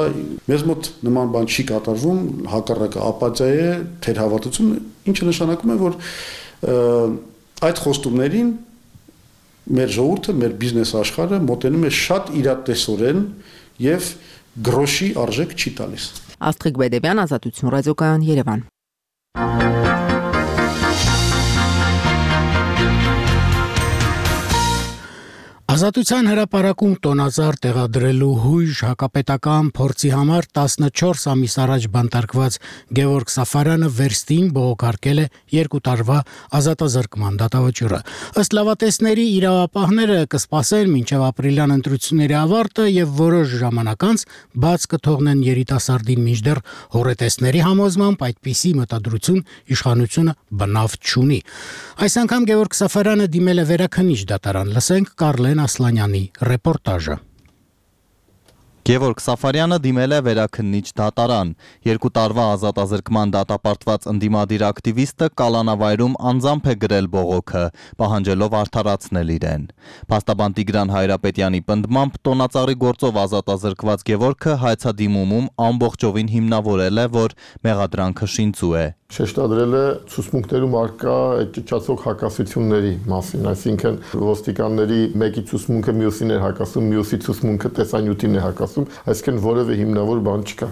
մեզ մոտ նման բան չի կատարվում, հակառակը ապաթիա է, թերհավատություն, ինչը նշանակում է, որ այդ խոստումներին մեր ժողովուրդը, մեր բիզնես աշխարհը մոտենում է շատ իրատեսորեն եւ գրոշի արժեք չի տալիս։ Աստղիկ Բեդևյան, Ազատություն ռադիոկայան, Երևան։ Ազատության հրապարակում տոնածառ տեղադրելու հույժ հակապետական փորձի համար 14 ամիս առաջ բանտարկված Գևորգ Սաֆարյանը վերստին բողոքարկել է 2 տարվա ազատազրկման դատավճիռը։ Ըստ լավատեսների իրավապահները կսպասեն մինչև ապրիլյան ընտրությունների ավարտը եւ որոշ ժամանակ անց բաց կթողնեն երիտասարդին, մինչդեռ հոռետեսների համոզմամբ այդպիսի մտադրություն իշխանությունը բնավ չունի։ Այս անգամ Գևորգ Սաֆարյանը դիմել է վերաքննիչ դատարան։ Լսենք Կարլեն Ասլանյանի ռեպորտաժը։ Գևորգ Սաֆարյանը դիմել է վերաքննիչ դատարան։ 2 տարվա ազատազրկման դատապարտված ընդդիմադիր ակտիվիստը կալանավայրում անձամբ է գրել բողոքը, պահանջելով արդարացնել իրեն։ Փաստաբան Տիգրան Հայրապետյանի պնդմամբ տոնածառի գործով ազատազրկված Գևորգը հայցադիմումում ամբողջովին հիմնավորել է, որ մեղադրանքը շինծու է։ Շեշտադրել է ցուցմունքներում արկա ճճացող հակասությունների մասին, այսինքն ոստիկանների մեկի ցուցմունքը մյուսին է հակասում, մյուսի ցուցմունքը տեսանյութին է հակասում, այսինքն որևէ հիմնավոր բան չկա։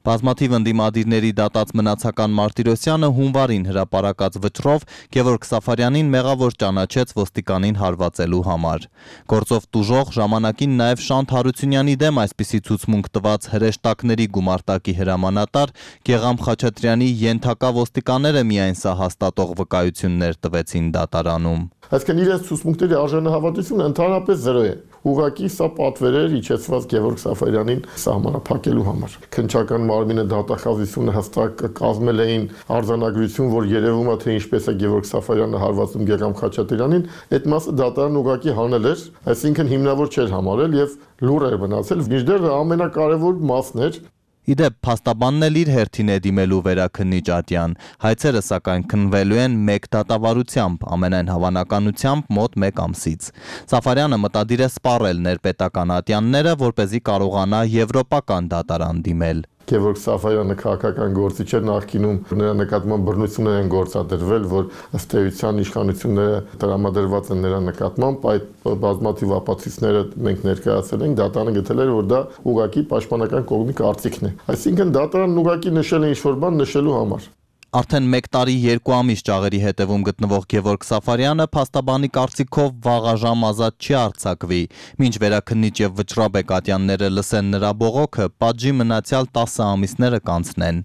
Բազմաթիվ ընդդիմադիրների դատած Մնացական Մարտիրոսյանը հունվարին հրապարակած վճռով Գևորգ Սաֆարյանին մեղավոր ճանաչեց ոստիկանին հարվածելու համար։ Գործով տուժող ժամանակին նաև Շանթ Հարությունյանի դեմ այսպիսի ցուցմունք տված հրեշտակների գումարտակի հրամանատար Գեգամ Խաչատրյանի ենթակա ոստիկանները միայն սա հաստատող վկայություններ տվեցին դատարանում։ Այսինքն իրենց ցուցմունքների արժանահավատությունը ընդհանրապես 0 է։ Ուղղակի սա պատվեր էր իջեցված Գևորգ Սաֆարյանին սահմանափակելու համար։ Քննչական մարմինը դատախազությունը հստակ կազմել էին արձանագրություն, որ երևում է թե ինչպես է Գևորգ Սաֆարյանը հարվածում Գեգամ Խաչատրյանին, այդ մասը դատարանը ուղղակի հանել էր, այսինքն հիմնավոր չէր համարել եւ լուր էր մնացել։ Մինչդեռ ամենակարևոր մասն էր Իդեպ փաստաբանն էլ իր հերթին է դիմելու վերաքննիչ ատյան, հայցերը սակայն քննվելու են մեկ դատավարությամբ, ամենայն հավանականությամբ մոտ 1 ամսից։ Սաֆարյանը մտադիր է սպառել ներպետական ատյանները, որպեսզի կարողանա եվրոպական դատարան դիմել։ Գևորգ Սաֆարյանը քաղաքական գործիչ էր, նախկինում նրա նկատմամբ բռնություններ են գործադրվել, որ ըստ էության իշխանությունները տրամադրված են նրա նկատմամբ, այդ բազմաթիվ ապացույցները մենք ներկայացրել ենք, դատարանը գտել էր, որ դա ուղղակի պաշտպանական կողմի կարծիքն է։ Այսինքն դատարանն ուղղակի նշել է ինչ-որ բան նշելու համար։ Արդեն 1 տարի 2 ամիս ճաղերի հետևում գտնվող Գևորգ Սաֆարյանը փաստաբանի կարծիքով վաղաժամ ազատ չի արձակվի, մինչ վերաքննիչ եւ վճռաբեկ ատյանները լսեն նրա բողոքը, պատժի մնացյալ 10 ամիսները կանցնեն։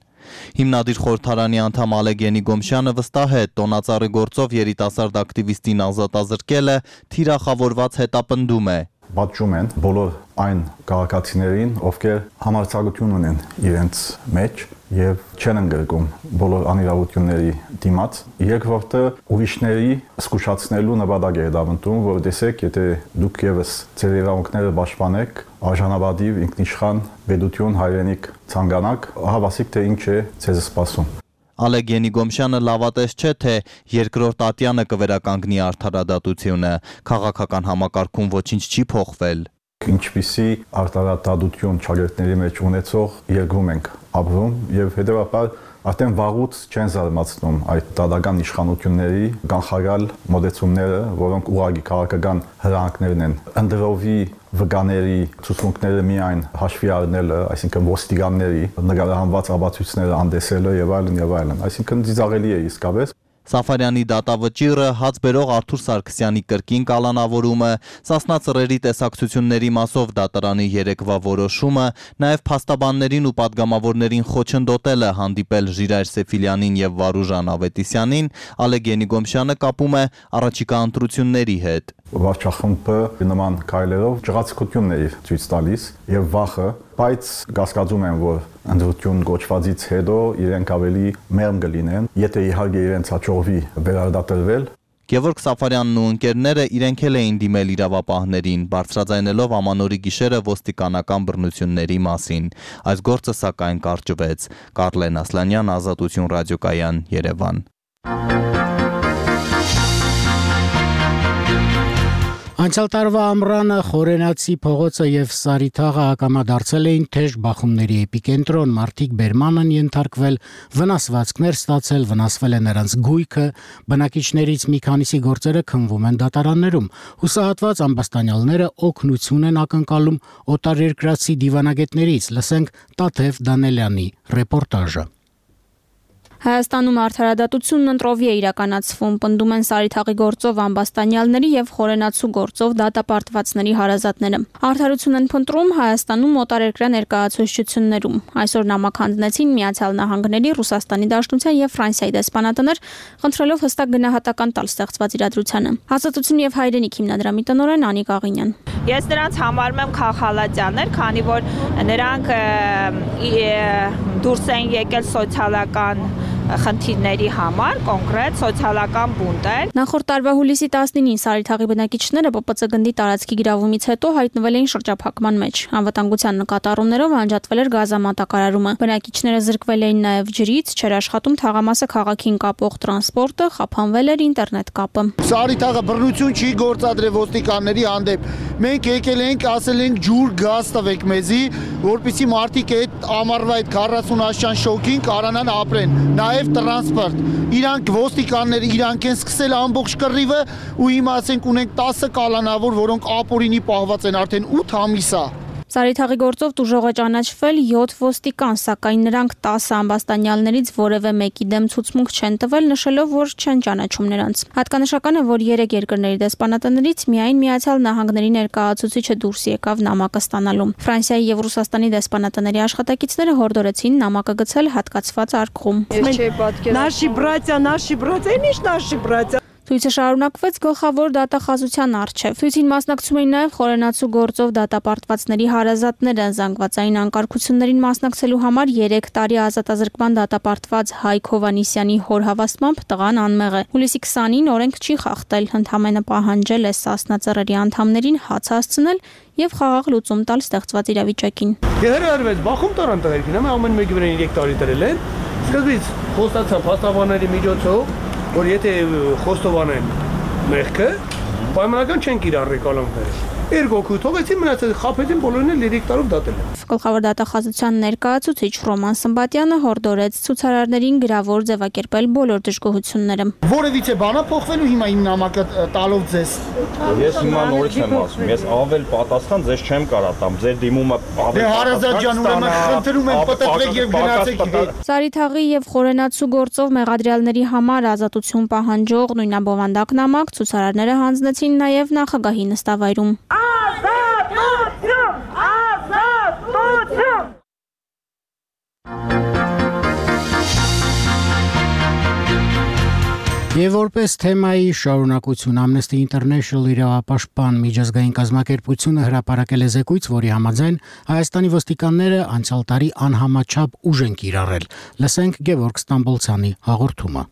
Հիմնադիր խորհրդարանի անդամ Ալեգենի Գոմշյանը վստահ է, տոնածառի գործով երիտասարդ ակտիվիստին ազատազրկելը թիրախավորված հետապնդում է։ Պատժում են բոլոր այն քաղաքացիներին, ովքեր համարձակություն ունեն իրենց մեջ եւ չեն ընդգրկում բոլոր անիրավությունների դիմաց, երկրորդը ուրիշների զսկուշացնելու նպատակ է դավանտում, որ տեսեք, եթե դուք եւս ձեր իրավունքները պաշտպանեք, արժանապատիվ ինքնիշխան պետություն հայրենիք ցանկանաք, հավասիկ թե ինչ է ձեզ սպասում։ Ալեգենի Գոմշյանը լավատես չէ, թե երկրորդ ատյանը կվերականգնի արդարադատությունը, քաղաքական համակարգում ոչինչ չի փոխվել։ Ինչպիսի արդարադատություն ճակերտների մեջ ունեցող երկրում ենք ապրում եւ հետեւաբար արդեն վաղուց չեն զարմացնում այդ դատական իշխանությունների կանխարգալ մոտեցումները, որոնք ուղղակի քաղաքական հրանքներն են։ Ընդրովի վկաների ցուցմունքները միայն հաշվի առնելը, այսինքն ոստիկանների նկարահանված ապացույցները անդեսելը եւ այլն, այսինքն ծիծաղելի է իսկապես։ Սաֆարյանի դատավճիռը, հաց բերող Արթուր Սարգսյանի կրկին կալանավորումը, Սասնա ծռերի տեսակցությունների մասով դատարանի երեկվա որոշումը, նաև փաստաբաններին ու падգամավորներին խոչընդոտելը հանդիպել Ժիրայր Սեֆիլյանին եւ Վարուժան Ավետիսյանին, Ալեգենի Գոմշյանը կապում է առաջիկա ընտրությունների հետ։ Վարչախմբը նման քայլերով ջղացկություններ է ցույց տալիս եւ վախը, բայց կասկածում եմ, որ ընդրություն գոչվածից հետո իրենք ավելի մեղմ կլինեն, եթե իհարկե իրենց հաջողվի վերարտադրվել։ Գևորգ Սաֆարյանն ու ընկերները իրենք էլ էին դիմել իրավապահներին, բարձրաձայնելով ամանորի գիշերը ոստիկանական բռնությունների մասին։ Այս գործը սակայն կարճվեց։ Կարլեն Ասլանյան, Ազատություն ռադիոկայան, Երևան։ Անցյալ տարվա ամռանը Խորենացի փողոցը եւ Սարիթաղը ակամադարձել էին թեժ բախումների էպիկենտրոն, մարդիկ բերման են ենթարկվել, վնասվածքներ ստացել, վնասվել է նրանց գույքը, բնակիչներից մի քանիսի գործերը քննվում են դատարաններում։ Հուսահատված ամբաստանյալները օգնություն են ակնկալում օտարերկրացի դիվանագետներից։ Լսենք Տաթև Դանելյանի ռեպորտաժը։ Հայաստանում արդարադատությունն ընտրովի է իրականացվում, պնդում են Սարիթաղի գործով ամբաստանյալների եւ Խորենացու գործով դատապարտվածների հարազատները։ Արդարություն են փնտրում Հայաստանում օտարերկրյա ներկայացուցչություններում։ Այսօր նամակ հանձնեցին Միացյալ Նահանգների, Ռուսաստանի Դաշնության եւ Ֆրանսիայի դեսպանատներ, խնդրելով հստակ գնահատական տալ ստեղծված իրադրությանը։ Ազատություն եւ հայրենիք հիմնադրամի տնօրեն Անիկ Աղինյան։ Ես նրանց համարում եմ քաղաքալատյաներ, քանի որ նրանք դուրս են եկել սոցիալական խնդիրների համար, կոնկրետ սոցիալական բունտեր։ Նախորդ տարվա հուլիսի 19-ին Սարիթաղի բնակիչները ՊՊՑ գնդի տարածքի գրավումից հետո հայտնվել էին շրջափակման մեջ։ Անվտանգության նկատառումներով անջատվել էր գազամատակարարումը։ Բնակիչները զրկվել էին նաև ջրից, չէր աշխատում թաղամասը քաղաքին կապող տրանսպորտը, խափանվել էր ինտերնետ կապը։ Սարիթաղը բռնություն չի գործադրել ոստիկանների հանդեպ։ Մենք եկել ենք, ասել ենք ջուր, գազ տվեք մեզի, որպեսզի մարդիկ այդ ամառվա այդ 40 աշճան շոկին կարողանան ապրեն։ Նաև տրանսպորտ։ Իրանք ոստիկանները իրանք են սկսել ամբողջ կռիվը ու հիմա ասենք ունենք 10 կալանավոր, որոնք ապօրինի պահված են արդեն 8 ամիս է։ Սարիթաղի գործով տուժող է ճանաչվել 7 ոստիկան, սակայն նրանք 10 ամբաստանյալներից որևէ մեկի դեմ ցուցմունք չեն տվել, նշելով, որ չեն ճանաչում նրանց։ Հատկանշական է, որ 3 երկրների դեսպանատներից միայն Միացյալ Նահանգների ներկայացուցիչը դուրս եկավ նամակը ստանալու։ Ֆրանսիայի եւ Ռուսաստանի դեսպանատների աշխատակիցները հորդորեցին նամակը գցել հատկացված արկղում։ Ցույցը շարունակվեց գլխավոր դատախազության առջև։ Ցույցին մասնակցում էին նաև Խորենացու գործով դատապարտվածների հարազատները։ Զանգվածային անկարգություններին մասնակցելու համար 3 տարի ազատազրկման դատապարտված Հայկ Հովանիսյանի հոր հավաստմամբ տղան անմեղ է։ Հուլիսի 20-ին օրենք չի խախտել, ընդհանրապես պահանջել է Սասնա ծռերի անդամներին հաց հասցնել եւ խաղաղ լուծում տալ ստեղծված իրավիճակին։ Երարվեց բախում տարան տղերքին, ամեն մեկի վրա 3 տարի դրել են։ Սկզբից խոստացան փաստաբանների միջոցով, որ եթե խոստովանեն մեղքը, պայմանական չեն կիրառի կալանքները։ Երգոքու թողեցին մնացած խափեցին բոլորին էլ 3 տարով դատել են։ Գլխավոր դատախազության ներկայացուցիչ Ռոման Սմբատյանը հորդորեց ցուցարարներին գրավոր ձևակերպել բոլոր դժգոհությունները։ Որևիցե բանա փոխվելու հիմա իմ նամակը տալով ձեզ։ Ես հիմա նորից եմ ասում, ես ավել պատասխան ձեզ չեմ կարա տամ, ձեր դիմումը ավել։ Դե Հարազատ ջան, ուրեմն խնդրում եմ պատտվեք եւ գնացեք հետ։ Սարիթաղի եւ խորենացու գործով մեղադրյալների համար ազատություն պահանջող նույնաբովանդակ նամակ ցուցարարները հանձնեցին նաեւ նախագահի նստավայրում։ Եվ որպես թեմայի շարունակություն Amnesty International իրավապաշտպան միջազգային կազմակերպությունը հրապարակել է զեկույց, որի համաձայն Հայաստանի ոստիկանները անցյալ տարի անհամաչափ ուժ են կիրառել։ Լսենք Գևորգ Ստամբոլցյանի հաղորդումը։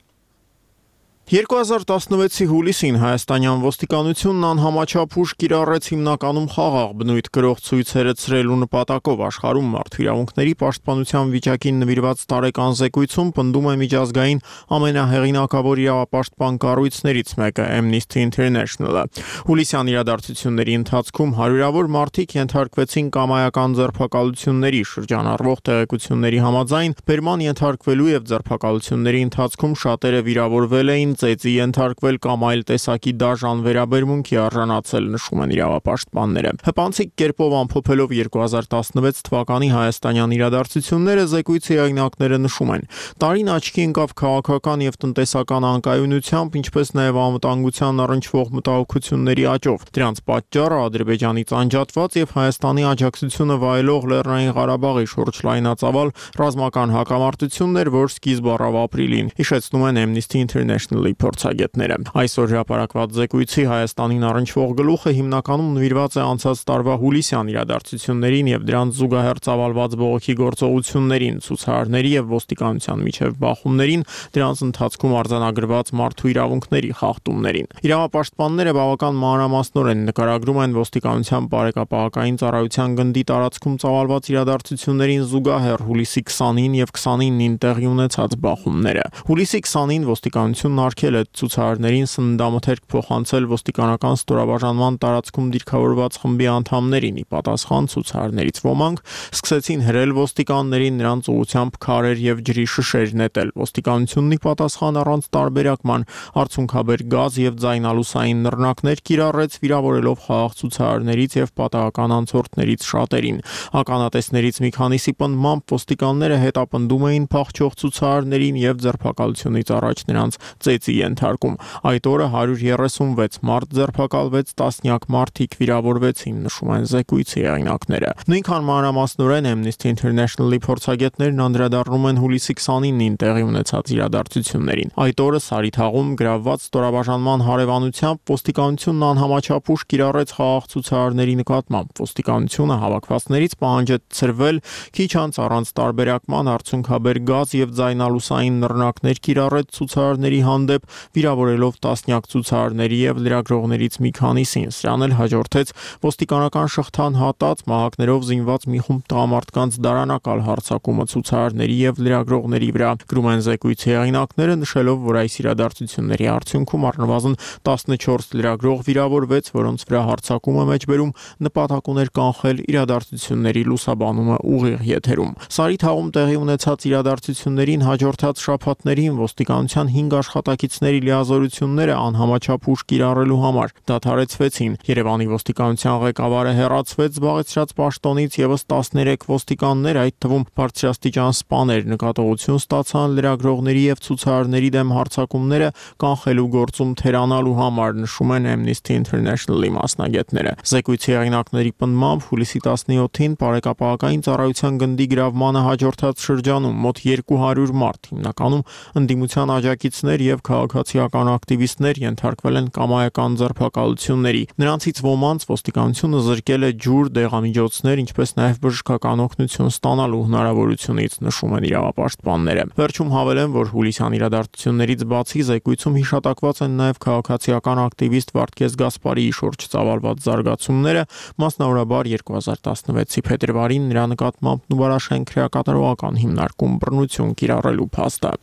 2016-ի հուլիսին հայաստանյան ոստիկանությունն անհամաչափ ուժ կիրառեց հիմնականում խաղաղ բնույթ կրող ցույցերը ցրելու նպատակով աշխարհում մարդու իրավունքների պաշտպանության վիճակին նվիրված տարեկան զեկույցում պնդում է միջազգային ամենահեղինակավոր իրավապաշտպան կառույցներից մեկը Amnesty International-ը։ Հուլիսյան իրադարձությունների ընթացքում հարյուրավոր մարդիկ ենթարկվեցին կամայական ձերբակալությունների շրջանառվող տեղեկությունների համաձայն բերման ենթարկվելու եւ ձերբակալությունների ընթացքում շատերը վիրավորվել էին ծեծի ենթարկվել կամ այլ տեսակի դաժան վերաբերմունքի արժանացել, նշում են իրավապաշտպանները։ Հպանցիկ կերպով ամփոփելով 2016 թվականի հայաստանյան իրադարձությունները զեկույցի հեղինակները նշում են. տարին աչքի ընկավ քաղաքական եւ տնտեսական անկայունությամբ, ինչպես նաեւ անվտանգության առնչվող մտահոգությունների աճով։ Դրանց պատճառը Ադրբեջանից անջատված եւ Հայաստանի աջակցությունը վայելող Լեռնային Ղարաբաղի շուրջ լայնածավալ ռազմական հակամարտությունն էր, որ սկիզբ առավ ապրիլին, հիշեցնում են Amnesty International-ի փորձագետները։ Այսօր հրապարակված զեկույցի Հայաստանին առնչվող գլուխը հիմնականում նվիրված է անցած տարվա հուլիսյան իրադարձություններին եւ դրանց զուգահեռ ծավալված բողոքի գործողություններին, ցուցարարների եւ ոստիկանության միջև բախումներին, դրանց ընթացքում արձանագրված մարդու իրավունքների խախտումներին։ Իրավապաշտպանները բավական մանրամասնորեն նկարագրում են ոստիկանության բարեկապահական ծառայության գնդի տարածքում ծավալված իրադարձություններին զուգահեռ հուլիսի 20-ին եւ 29-ին տեղի ունեցած բախումները։ Հուլիսի 20-ին ոստիկանությունն արգել է ցուցարարներին սննդամթերք փոխանցել ոստիկանական ստորաբաժանման տարածքում դիրքավորված խմբի անդամներին։ Ի պատասխան ցուցարարներից ոմանք սկսեցին հրել ոստիկաններին, նրանց ուղղությամբ քարեր եւ ջրի շշեր նետել։ Ոստիկանությունն ի պատասխան առանց տարբերակման արցունքաբեր գազ եւ ձայնալուսային նռնակներ կիրառեց, վիրավորելով խաղաղ ցուցարարներից եւ պատահական անցորդներից շատերին։ Ականատեսներից մի քանիսի պնդմամբ ոստիկանները հետապնդում էին փախչող ցուցարարներին եւ ձերբակալությունից առաջ նրանց ծեծի ենթարկում։ Այդ օրը 136 մարդ ձերբակալվեց, տասնյակ մարդիկ վիրավորվեցին, նշում են զեկույցի հեղինակները։ Նույնքան մանրամասնորեն Amnesty International-ի փորձագետներն անդրադառնում են հուլիսի 29-ին տեղի ունեցած իրադարձություններին։ Այդ օրը Սարիթաղում գրավված ստորաբաժանման հարևանությամբ ոստիկանությունն անհամաչափ ուժ կիրառեց խաղաղ ցուցարարների նկատմամբ։ Ոստիկանությունը հավաքվածներից պահանջեց ցրվել, քիչ անց առանց տարբերակման արցունքաբեր գազ եւ ձայնալուսային նռնակներ կիրառեց ցուցարարների հանդեպ, վիրավորելով տասնյակ ցուցարարների եւ լրագրողներից մի քանիսին։ Սրան էլ հաջորդեց ոստիկանական շղթան հատած մահակներով զինված մի խումբ տղամարդկանց դարանակալ հարձակումը ցուցարարների եւ լրագրողների վրա։ Գրում են զեկույցի հեղինակները, նշելով, որ այս իրադարձությունների արդյունքում առնվազն 14 լրագրող վիրավորվեց, որոնց վրա հարձակումը մեջբերում նպատակ ուներ կանխել իրադարձությունների լուսաբանումը ուղիղ եթերում։ Սարիթաղում տեղի ունեցած իրադարձություններին հաջորդած շաբաթներին ոստիկանության 5 աշխատակիցների լիազորությունները անհամաչափ ուժ կիրառելու համար դադարեցվեցին։ Երևանի ոստիկանության ղեկավարը հեռացվեց զբաղեցրած պաշտոնից, եւս 13 ոստիկաններ, այդ թվում բարձրաստիճան սպաներ, նկատողություն ստացան լրագրողների եւ ցուցարարների դեմ հարձակումները կանխելու գործում թերանալու համար, նշում են Amnesty International-ի մասնագետները։ Զեկույցի հեղինակների պնդմամբ հուլիսի 17-ին բարեկապահական ծառայության գնդի գրավմանը հաջորդած շրջանում մոտ 200 մարդ, հիմնականում ընդդիմության աջակիցներ եւ քաղաքացիական ակտիվիստներ ենթարկվել են կամայական ձերբակալությունների։ Նրանցից ոմանց ոստիկանությունը զրկել է ջուր, դեղամիջոցներ, ինչպես նաեւ բժշկական օգնություն ստանալու հնարավորությունից, նշում են իրավապաշտպանները։ Վերջում հավելեն, որ հուլիսյան իրադարձություններից բացի զեկույցում հիշատակված են նաեւ քաղաքացիական ակտիվիստ Վարդգես Գասպարիի շուրջ ծավալված զարգացումները, մասնավորաբար 2016-ի փետրվարին նրա նկատմամբ Նուբարաշեն քրեակատարողական հիմնարկում բռնություն կիրառելու փաստը։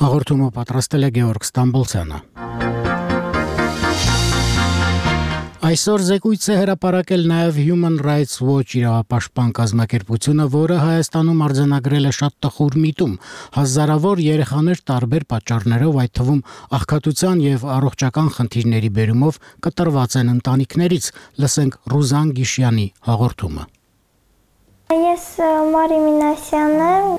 Հաղորդումը պատրաստել է Գևորգ Ստամբոլցյանը։ Այսօր զեկույց է հրապարակել նաև Human Rights Watch իրավապաշտպան կազմակերպությունը, որը Հայաստանում արձանագրել է շատ տխուր միտում։ Հազարավոր երեխաներ տարբեր պատճառներով, այդ թվում աղքատության եւ առողջական խնդիրների բերումով կտրված են ընտանիքներից։ Լսենք Ռուզան Գիշյանի հաղորդումը։ Ես Մարի Մինասյանն եմ,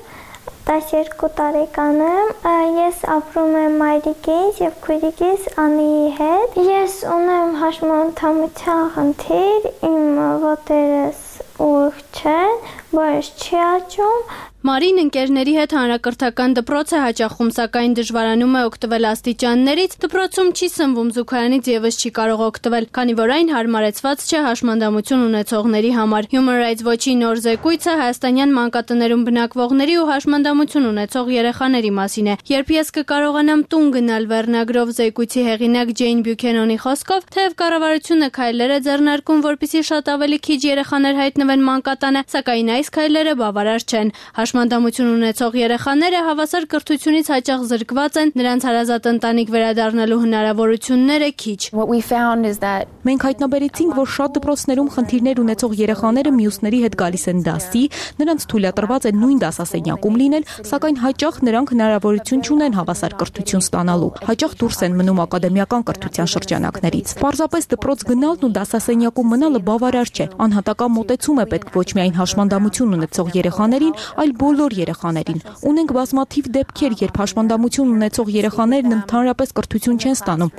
12 տարեկան եմ, ես ապրում եմ մայրիկիս և քույրիկիս Անիի հետ։ Ես ունեմ հաշմանդամության խնդիր, իմ ոտերս ուղիղ չեն, բայց չի աճում։ Մարին ընկերների հետ հանրակրթական դպրոց է հաճախում, սակայն դժվարանում է օգտվել աստիճաններից, դպրոցում չի սնվում, զուգարանից եւս չի կարող օգտվել, քանի որ այն հարմարեցված չէ հաշմանդամություն ունեցողների համար։ Human Rights Watch-ի նոր զեկույցը հայաստանյան մանկատներում բնակվողների ու հաշմանդամություն ունեցող երեխաների մասին է։ Երբ ես կկարողանամ տուն գնալ վերնագրով զեկույցի հեղինակ Ջեյն Բյուքենոնի խոսքով, թեև կառավարությունը քայլեր է ձեռնարկում, որպեսզի շատ ավելի քիչ երեխաներ հայտնվեն մանկատանը, սակայն այս քայլերը բավարար չեն։ Հաշմանդամություն ունեցող երեխաները հավասար կրթությունից հաճախ զրկված են, նրանց հարազատ ընտանիք վերադառնալու հնարավորությունները քիչ։ Մենք հայտնաբերեցինք, որ շատ դպրոցներում խնդիրներ ունեցող երեխաները մյուսների հետ գալիս են դասի, նրանց թույլատրված է նույն դասասենյակում լինել, սակայն հաճախ նրանք հնարավորություն չունեն հավասար կրթություն ստանալու։ Հաճախ դուրս են մնում ակադեմիական կրթության շրջանակներից։ Պարզապես դպրոց գնալն ու դասասենյակում մնալը բավարար չէ։ Անհատական մոտեցում է պետք ոչ միայն հաշմանդամություն ունեցող երեխաներին, այլ բոլոր երեխաներին։ Ունենք բազմաթիվ դեպքեր, երբ հաշմանդամություն ունեցող երեխաներն ընդհանրապես կրթություն չեն ստանում։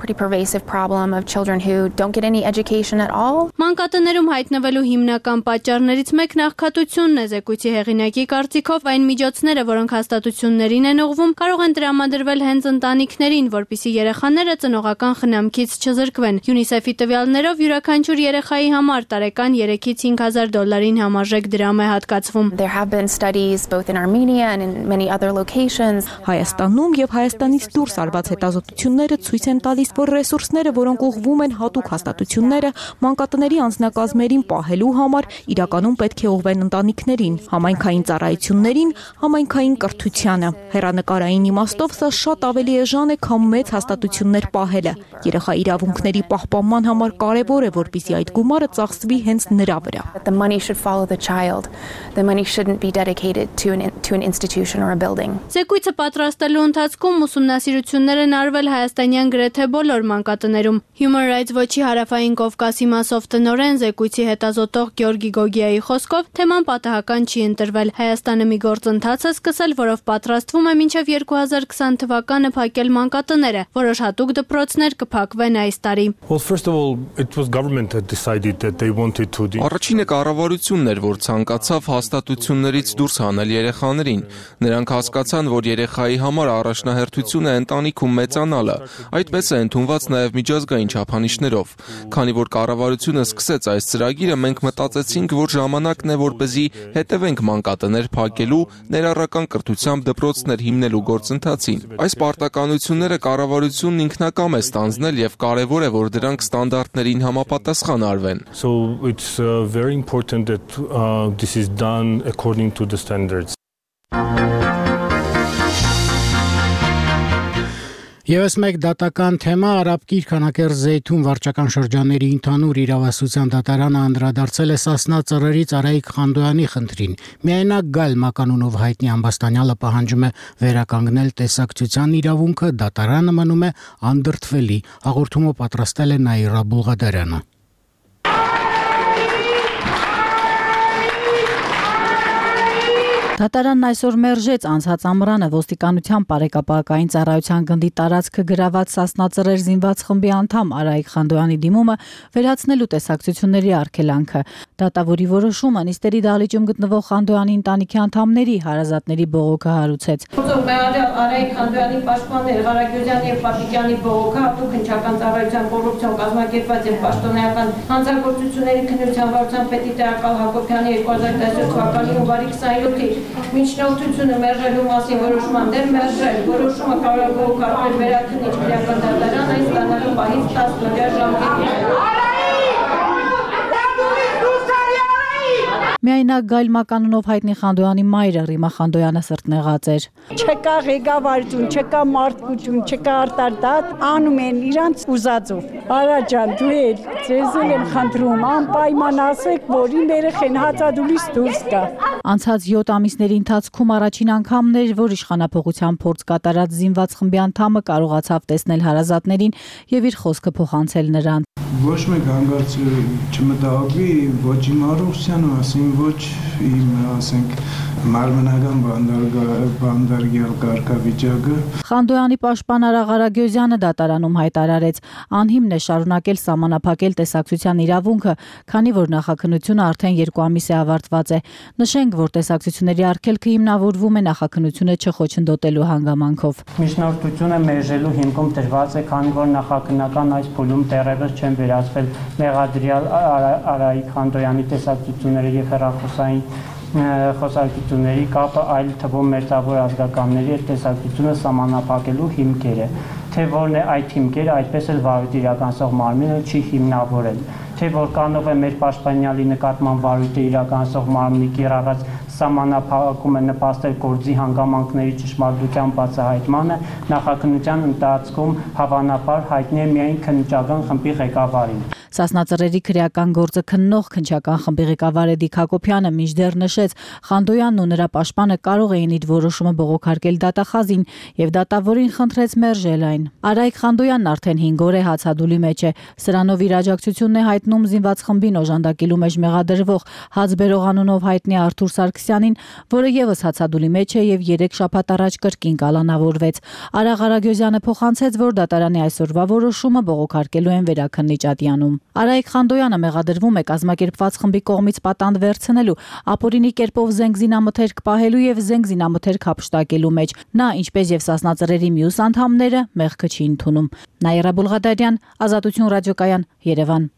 Մանկատներում հայտնվելու հիմնական պատճառներից մեկն աղքատությունն է, զեկույցի հեղինակի կարծիքով այն միջոցները, որոնք հաստատություններին են ուղղվում, կարող են տրամադրվել հենց ընտանիքներին, որպեսզի երեխաները ծնողական խնամքից չզրկվեն։ UNICEF-ի տվյալներով յուրաքանչյուր երեխայի համար տարեկան 3-ից 5,000 դոլարին համարժեք դրամ է հատկացվում։ both in Armenia and in many other locations. Հայաստանում եւ Հայաստանից դուրս արված հետազոտությունները ցույց են տալիս, որ ռեսուրսները, որոնք ուղղվում են հատուկ հաստատությունները, մանկատների անձնակազմերին պահելու համար, իրականում պետք է ուղղվեն ընտանիքներին, համայնքային ծառայություններին, համայնքային կրթությանը։ Հեռանկարային իմաստով սա շատ ավելի էժան է, քան մեծ հաստատություններ պահելը։ Երեխա իրավունքների պահպանման համար կարևոր է, որպեսզի այդ գումարը ծախսվի հենց նրա վրա։ The money should follow the child. The money shouldn't be dedicated to an institution or a building. Զեկույցը պատրաստելու ընթացքում ուսումնասիրություններ են արվել հայաստանյան գրեթե բոլոր մանկատներում։ Human Rights Watch-ի հարավային Կովկասի մասով տնօրեն զեկույցի հետազոտող Գյորգի Գոգիայի խոսքով թեման պատահական չի ընտրվել։ Հայաստանը մի գործընթաց է սկսել, որով պատրաստվում է մինչև 2020 թվականը փակել մանկատները։ Որոշ հատուկ դպրոցներ կփակվեն այս տարի։ Առաջինը կառավարությունն էր, որ ցանկացավ հաստատություններից դուրս հանել երեխաներին։ Նրանք հասկացան, որ երեխայի համար առաջնահերթություն է ընտանիքում մեծանալը։ Այդպես է ընդունված նաև միջազգային չափանիշներով։ Քանի որ կառավարությունը սկսեց այս ծրագիրը, մենք մտածեցինք, որ ժամանակն է, որպեսզի հետևենք մանկատներ փակելու, ներառական կրթությամբ դպրոցներ հիմնելու գործընթացին։ Այս պարտականությունները կառավարությունն ինքնակամ է ստանձնել եւ կարեւոր է, որ դրանք ստանդարտներին համապատասխան արվեն։ So it's very important that this is done according to the standards. Եվս մեկ դատական թեմա Արաբ Կիրքանակերտ Զեյթուն վարչական շրջանների ընդհանուր իրավասության դատարանը անդրադարձել է Սասնա ծռերից Արայիկ Խանդոյանի խնդրին։ Միայնակ Գալ մականունով հայտնի ամբաստանյալը պահանջում է վերականգնել տեսակցության իրավունքը, դատարանը մնում է անդրդվելի։ Հաղորդումը պատրաստել է Նաիրա Բուլղադարյանը։ Դատարանն այսօր մերժեց անցած ամռանը ոստիկանության բարեկապահական ծառայության գնդի տարածքը գրաված Սասնա ծռեր զինված խմբի անդամ Արայիկ Խանդոյանի դիմումը վերացնելու տեսակցությունների արգելանքը։ Դատավորի որոշումը նիստերի դահլիճում գտնվող Խանդոյանի ընտանիքի անդամների հարազատների բողոքը հարուցեց։ Արայիկ Խանդոյանի պաշտպաններ Ղարագյուզյանի եւ Պապիկյանի բողոքը հատուկ հնչական ծառայության կոռուպցիոն կազմակերպված եւ պաշտոնեական հանցագործությունների քննության վարչության պետի տեղակալ Հակոբյանի 2017 թվականի հունվարի 27-ի միջնորդությունը մերժելու մասին որոշման դեմ մերժել։ Որոշումը կարող է բողոքարկվել վերաքննիչ քրեական դատարան այս ստանալու պահից 10 օրյա ժամկետի։ Միայնակ Գայլ Մականունով հայտնի Խանդոյանի մայրը Ռիմա Խանդոյանը սրտնեղած էր։ Չկա ղեկավարություն, չկա մարդկություն, չկա արտարտատ, անում են իրանց ուզածով։ Արա ջան, դու էլ ձեզ եմ խնդրում, անպայման ասեք, որ իմ երեխեն հացադուլից դուրս գա։ Անցած 7 ամիսների ընթացքում առաջին անգամն էր, որ իշխանապողության փորձ կատարած զինված խմբի անդամը կարողացավ տեսնել հարազատներին եւ իր խոսքը փոխանցել նրանց։ Ոչ մեկ հանգարց չմտահոգվի, ոչ իմ Արուսյանը, ասին ոչ իմ, ասենք, մարմնական բանդարգյալ կարգավիճակը։ Խանդոյանի պաշտպան Արա Ղարագյոզյանը դատարանում հայտարարեց, անհիմն է շարունակել սահմանափակել տեսակցության իրավունքը, քանի որ նախաքննությունը արդեն 2 ամիս է ավարտված է։ Նշենք, որ տեսակցությունների արգելքը հիմնավորվում է նախաքննությունը չխոչընդոտելու հանգամանքով։ Միջնորդությունը մերժելու հիմքում դրված է, քանի որ նախաքննական այս փուլում դեռևս չեն վերացվել մեղադրյալ Արայիկ Խանդոյանի տեսակցությունները եւ հեռախոսային խոսակցությունների կապը այլ թվում մերձավոր ազգականների հետ տեսակցությունը սահմանափակելու հիմքերը, թե որն է այդ հիմքերը, այդպես էլ վարույթ իրականացող մարմինը չի հիմնավորել, թե որքանով է մեր պաշտպանյալի նկատմամբ վարույթը իրականացող մարմնի կիրառած սահմանափակումը նպաստել գործի հանգամանքների ճշմարտության բացահայտմանը, նախաքննության ընթացքում հավանաբար հայտնի է միայն քննչական խմբի ղեկավարին։ Սասնածռերի քրեական գործը քննող քննչական խմբի ղեկավար Էդիկ Հակոբյանը մինչդեռ նշեց, Խանդոյանն ու նրա պաշտպանը կարող էին իր որոշումը բողոքարկել դատախազին եւ դատավորին խնդրեց մերժել այն։ Արայիկ Խանդոյանն արդեն 5 օր է հացադուլի մեջ է։ Սրանով իր աջակցությունն է հայտնում զինված խմբին օժանդակելու մեջ մեղադրվող Հացբերող անունով հայտնի Արթուր Սարգսյանին, որը եւս հացադուլի մեջ է եւ 3 շաբաթ առաջ կրկին կալանավորվեց։ Արա Ղարագյոզյանը փոխանցեց, որ դատարանի այսօրվա որոշումը բողոքարկելու են վերաքննիչ ատյանում։ Արայիկ Խանդոյանը մեղադրվում է կազմակերպված խմբի կողմից պատանդ վերցնելու, ապօրինի կերպով զենք զինամթերք պահելու եւ զենք զինամթերք հափշտակելու մեջ։ Նա, ինչպես եւ Սասնածռերի մյուս անդամները, մեղքը չի ընդունում։ Նաիրա Բուլղադարյան, Ազատություն ռադիոկայան, Երևան։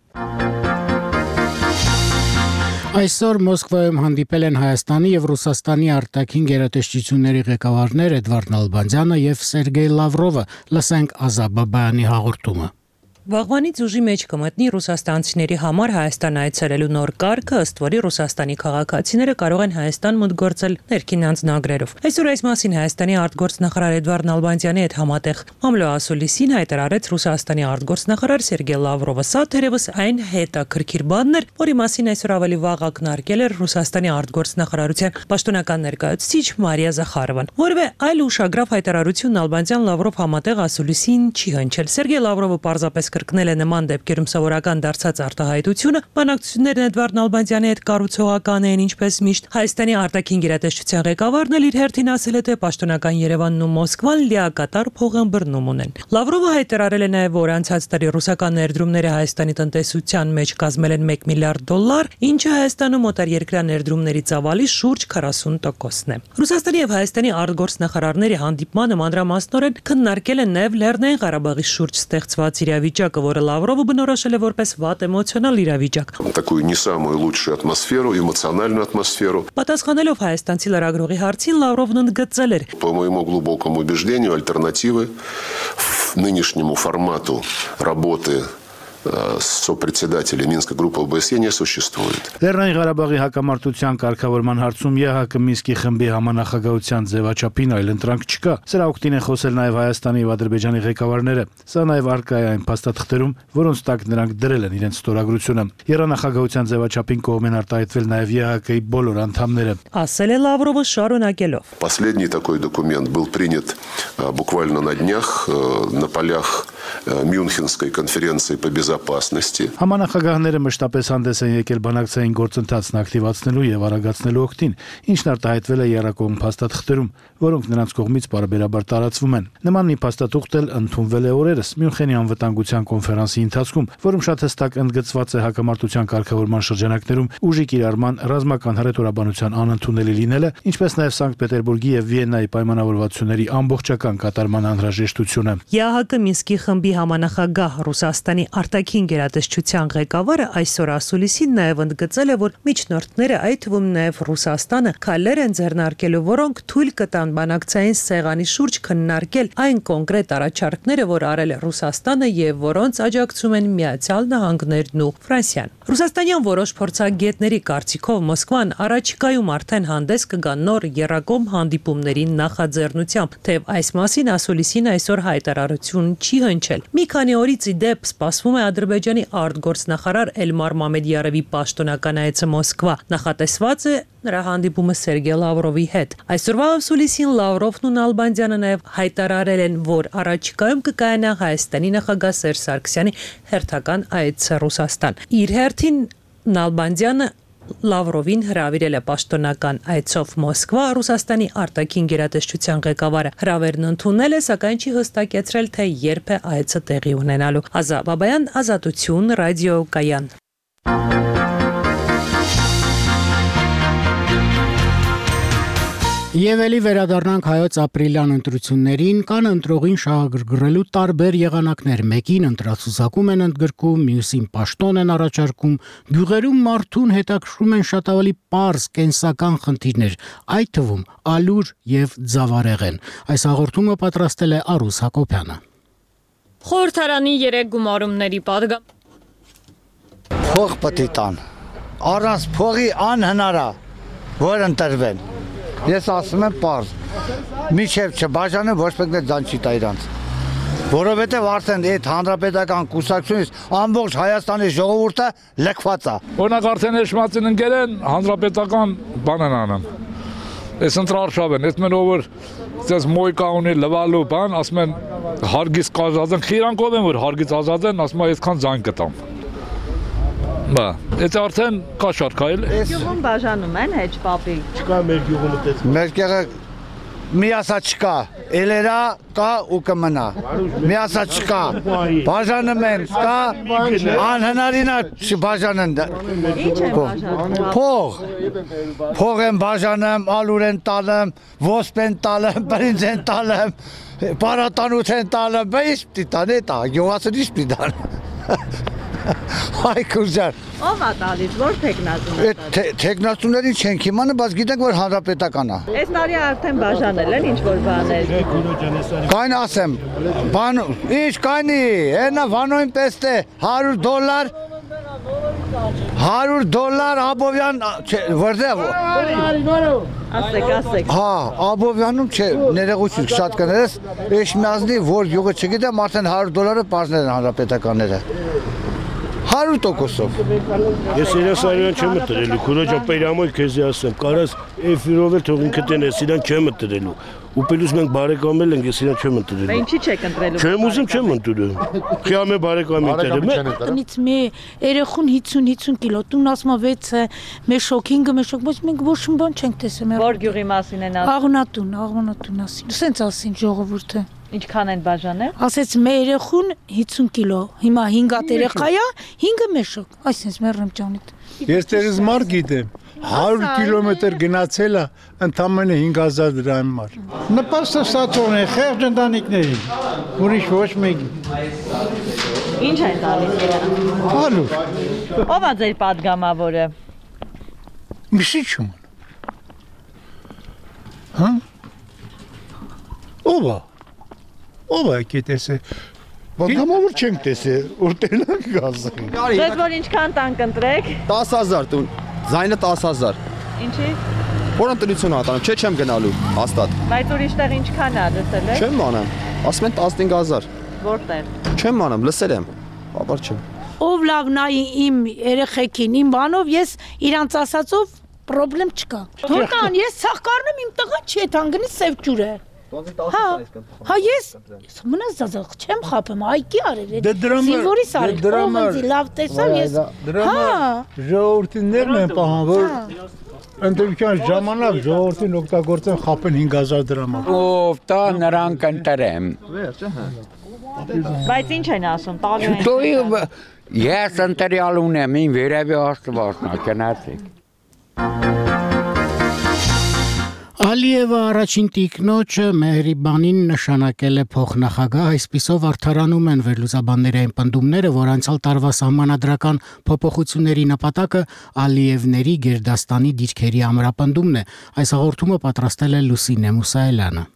Այսօր Մոսկվայում հանդիպել են Հայաստանի եւ Ռուսաստանի արտաքին գերատեսչությունների ղեկավարներ Էդվարդ Նալբանդյանը եւ Սերգեյ Լավրովը։ Լսենք Ազատ Բաբայանի հաղորդումը։ Վաղվանից ուժի մեջ կմտնի ռուսաստանցիների համար Հայաստան այցելելու նոր կարգը, ըստ որի Ռուսաստանի քաղաքացիները կարող են Հայաստան մուտք գործել ներքին անձնագրերով։ Այսօր այս մասին Հայաստանի արտգործնախարար Էդվարդ Նալբանդյանի հետ համատեղ մամլոասուլիսին հայտարարեց Ռուսաստանի արտգործնախարար Սերգեյ Լավրովը։ Սա թերևս այն հետաքրքիր բանն էր, որի մասին այսօր ավելի վաղ ակնարկել էր Ռուսաստանի արտգործնախարարության պաշտոնական ներկայացուցիչ Մարիա Զախարովան։ Որևէ այլ ուշագրավ հայտարարություն Նալբանդյան-Լավրով համատեղ ասուլիսին չի հնչել։ Սերգեյ Լավրովը պարզապես կրկնել է նման դեպքերում սովորական դարձած արտահայտությունը, բանակցություններն Էդվարդ Նալբանդյանի հետ կառուցողական էին, ինչպես միշտ։ Հայաստանի արտաքին գերատեսչության ղեկավարն էլ իր հերթին ասել է, թե պաշտոնական Երևանն ու Մոսկվան լիակատար փոխըմբռնում ունեն։ Լավրովը հայտարարել է նաև, որ անցած տարի ռուսական ներդրումները Հայաստանի տնտեսության մեջ կազմել են $1 միլիարդ, ինչը Հայաստանում օտարերկրյա ներդրումների ծավալի շուրջ 40%-ն է։ Ռուսաստանի եւ Հայաստանի արտգործնախարարների հանդիպմանը մանրամասնորեն քննարկել են նաև Լեռնային Ղարաբաղի շուրջ ստեղծված իրավիճակը, որը Լավրովը բնորոշել է որպես վատ էմոցիոնալ իրավիճակ։ Такую не самую лучшую атмосферу, эмоциональную атмосферу. Պատասխանելով Հայաստանցի լրագրողի հարցին Լավրովն ընդգծել էր. По моему глубокому убеждению, альтернативы нынешнему формату работы сопредседателя Минской группы ОБСЕ не существует. Լեռնային Ղարաբաղի հակամարտության կարգավորման հարցում ԵՀԿ Մինսկի խմբի համանախագահության ձևաչափին այլ ընտրանք չկա։ Սրա օգտին են խոսել նաև Հայաստանի եւ Ադրբեջանի ղեկավարները։ Սա նաև արկա է այն փաստաթղթերում, որոնց տակ նրանք դրել են իրենց ստորագրությունը։ Երանախագահության ձևաչափին կողմ են արտահայտվել նաև ԵՀԿ-ի բոլոր անդամները։ Ասել է Լավրովը շարունակելով. Последний такой документ был принят буквально на днях на полях Мюнхенской конференции по безопасности. Համանախագահները մշտապես հանդես են եկել բանակցային գործընթացն ակտիվացնելու եւ արագացնելու օգտին, ինչն արտահայտվել է երակողմ փաստաթղթերում, որոնք նրանց կողմից բարբերաբար տարածվում են։ Նման մի փաստաթուղթ էլ ընդունվել է օրերս Մյունխենի անվտանգության կոնֆերանսի ընթացքում, որում շատ հստակ ընդգծված է հակամարտության կարգավորման շրջանակներում ուժի կիրառման ռազմական հռետորաբանության անընդունելի լինելը, ինչպես նաև Սանկտ Պետերբուրգի եւ Վիեննայի պայմանավորվածությունների ամբողջական կատարման անհրաժեշտությունը։ ԵԱՀԿ Մինսկի խմբի համանախագահ Ռուսաստանի արտաքին արտաքին գերատեսչության ղեկավարը այսօր ասուլիսին նաև ընդգծել է, որ միջնորդները, այդ թվում նաև Ռուսաստանը, քայլեր են ձեռնարկելու, որոնք թույլ կտան բանակցային սեղանի շուրջ քննարկել այն կոնկրետ առաջարկները, որ արել է Ռուսաստանը եւ որոնց աջակցում են Միացյալ Նահանգներն ու Ֆրանսիան։ Ռուսաստանյան որոշ փորձագետների կարծիքով Մոսկվան առաջիկայում արդեն հանդես կգա նոր եռակողմ հանդիպումների նախաձեռնությամբ, թեև այս մասին ասուլիսին այսօր հայտարարություն չի հնչել։ Մի քանի օրից ի դեպ սպասվում է Ադրբեջանի արտգործնախարար Էլմար Մամեդյարովի պաշտոնական այցը Մոսկվա։ Նախատեսված է նրա հանդիպումը Սերգեյ Լավրովի հետ։ Այսօրվա ասուլիսին Լավրովն ու Նալբանդյանը նաև հայտարարել են, որ առաջիկայում կկայանա Հայաստանի նախագահ Սերժ Սարգսյանի հերթական այցը Ռուսաստան։ Իր հերթին Նալբանդյանը Լավրովին հրավիրել է պաշտոնական այցով Մոսկվա, Ռուսաստանի արտաքին գերատեսչության ղեկավարը հրավերն ընդունել է, սակայն չի հստակեցրել, թե երբ է այցը տեղի ունենալու։ Ազա Բաբայան, Ազատություն, Ռադիո Կայան։ Եվ էլի վերադառնանք հայոց ապրիլյան ընտրություններին, կան ընտրողին շահագրգռելու տարբեր եղանակներ, մեկին ընտրացուցակում են ընդգրկում, մյուսին պաշտոն են առաջարկում, գյուղերում մարդուն հետաքրքրում են շատ ավելի պարզ կենսական խնդիրներ, այդ թվում ալուր եւ ձավարեղեն։ Այս հաղորդումը պատրաստել է Արուս Հակոբյանը։ Խորհրդարանի 3 գումարումների պատգամ։ Փող պետք է տան։ Առանց փողի անհնար է, որ ընտրվեն։ Ես ասում եմ պարզ, միջև չբաժանը ոչ պետք է ձան չի տա իրանց, որովհետև արդեն այդ հանրապետական կուսակցությունից ամբողջ Հայաստանի ժողովուրդը լքված է։ Օրինակ արդեն էշմացին ընկել են հանրապետական բան են անում, ես ընտրարշավ են, ես մեն ովր ես մոյկա ունի լվալու բան, ասում են հարգից կազած են, խիրանքով են, որ հարգից ազատ են, ասում են այսքան ձայն կտամ։ Բա, այդ արդեն կա շարքայել։ Գյուղում բաժանում են հեչ պապի։ Չկա մեր գյուղում այդպես։ Մեր գյուղը միասա չկա, էլերա կա ու կմնա։ Միասա չկա։ Բաժանում են, կա, անհնարին է չբաժանեն։ Ինչ են բաժանում։ Փող։ Փող են բաժանում, ալուր են տալում, ոսպ են տալում, բրինձ են տալում, պարատանութ են տալում, բա ինչ պիտի տան, էտա, գյուղացին ինչ պիտի տան։ Այ կուզար։ Ով է տալիս, որ թեկնածուն է տալիս։ Թեկնածուններին չենք իմանում, բայց գիտենք, որ հանրապետական է։ Այս տարի արդեն բաժանել են ինչ-որ բաներ։ Կայն ասեմ, բան, ինչ կայնի, հենա վանոյն պեստ է, $100, $100 Աբովյան, որտեղ։ Ասեք։ Հա, Աբովյանում չէ, ներողություն շատ կներես, Էշմիածնի, որ յուղը չգիտեմ, արդեն $100 պարզներ են հանրապետականները։ 100%-ով։ Ես երասարյան չեմ մտրելու, քուրոջա պերամոյ քեզի ասեմ, կարաս էֆիրով էլ թող ինքը տենես, իրան չեմ մտրելու։ Ու պելուս մենք բարեկամել ենք, ես իրան չեմ ընտրելու։ Բա ինչի չեք ընտրելու։ Չեմ ուզում, չեմ ընտրում։ Խիամե բարեկամի տերը։ Տնից մի երեխուն 50-50 կիլո, տուն ասում է 6-ը, մեշոք, 5-ը մեշոք, բայց մենք ոչ մի բան չենք տեսել։ Որ գյուղի մասին են ասում։ Աղոնատուն ասին։ Սենց ասին ժողովուրդը։ Ինչքան են բաժանել։ Ասեց մեր երեխուն 50 կիլո, հիմա 5 երեխա է, 5-ը մեշոք։ Այսինքն մեռեմ ջանիդ։ Ես դերս մար գիտեմ, 100 կիլոմետր գնացել է ընդամենը 5000 դրամ մար։ Նպաստը ստացողն է խեղճ ընտանիքներին, ուրիշ ոչ մեկի։ Ինչ են տալիս իրան։ Ալուր։ Ո՞վ է ձեր падգամավորը։ Միշի չում։ Հա։ Ո՞վ է։ Ո՞վ է կետեսը։ Պատգամավոր չենք տեսել, որտեղ գազը։ Ձեզ որ ինչքան տան կընտրեք։ 10000 տուն, ձայնը 10000։ Ինչի։ Որ ընտրություն ատանում, չէ չեմ գնալու, հաստատ։ Բայց ուրիշտեղ ինչքան է լսել եք։ Չեմ մանամ, ասում են 15000։ Որտեղ։ Չեմ մանամ, լսել եմ, ապար չեմ։ Ով լավ նայի իմ երեխեքին, իմ բանով ես իրանց ասածով պրոբլեմ չկա։ Թուրքան, ես ցախ կառնեմ իմ տղա չի թանգնի սև ջուր է։ Հա ես մնաց զազախ չեմ խափում, այկի արել։ Զինվորիս արել։ Դրամը լավ տեսավ ես։ Հա։ Ժողովրդիններն են պահան, որ ընտրության ժամանակ ժողովրդին օգտագործեն խափեն 5000 դրամով։ Ով տա նրան կընտրեմ։ Բայց ինչ են ասում, տալու են։ Ես ընտրյալ ունեմ, ին վերևի Աստվածն է, կնացեք։ Ալիևը առաջին տիկնոջը Մեհրիբանին նշանակել է փոխնախագահ, այսպիսով արդարանում են վերլուծաբանների այն պնդումները, որ անցյալ տարվա սահմանադրական փոփոխությունների նպատակը Ալիևների Գերդաստանի դիրքերի ամրապնդումն է։ Այս հաղորդումը պատրաստել է Լուսինե Մուսայելյանը։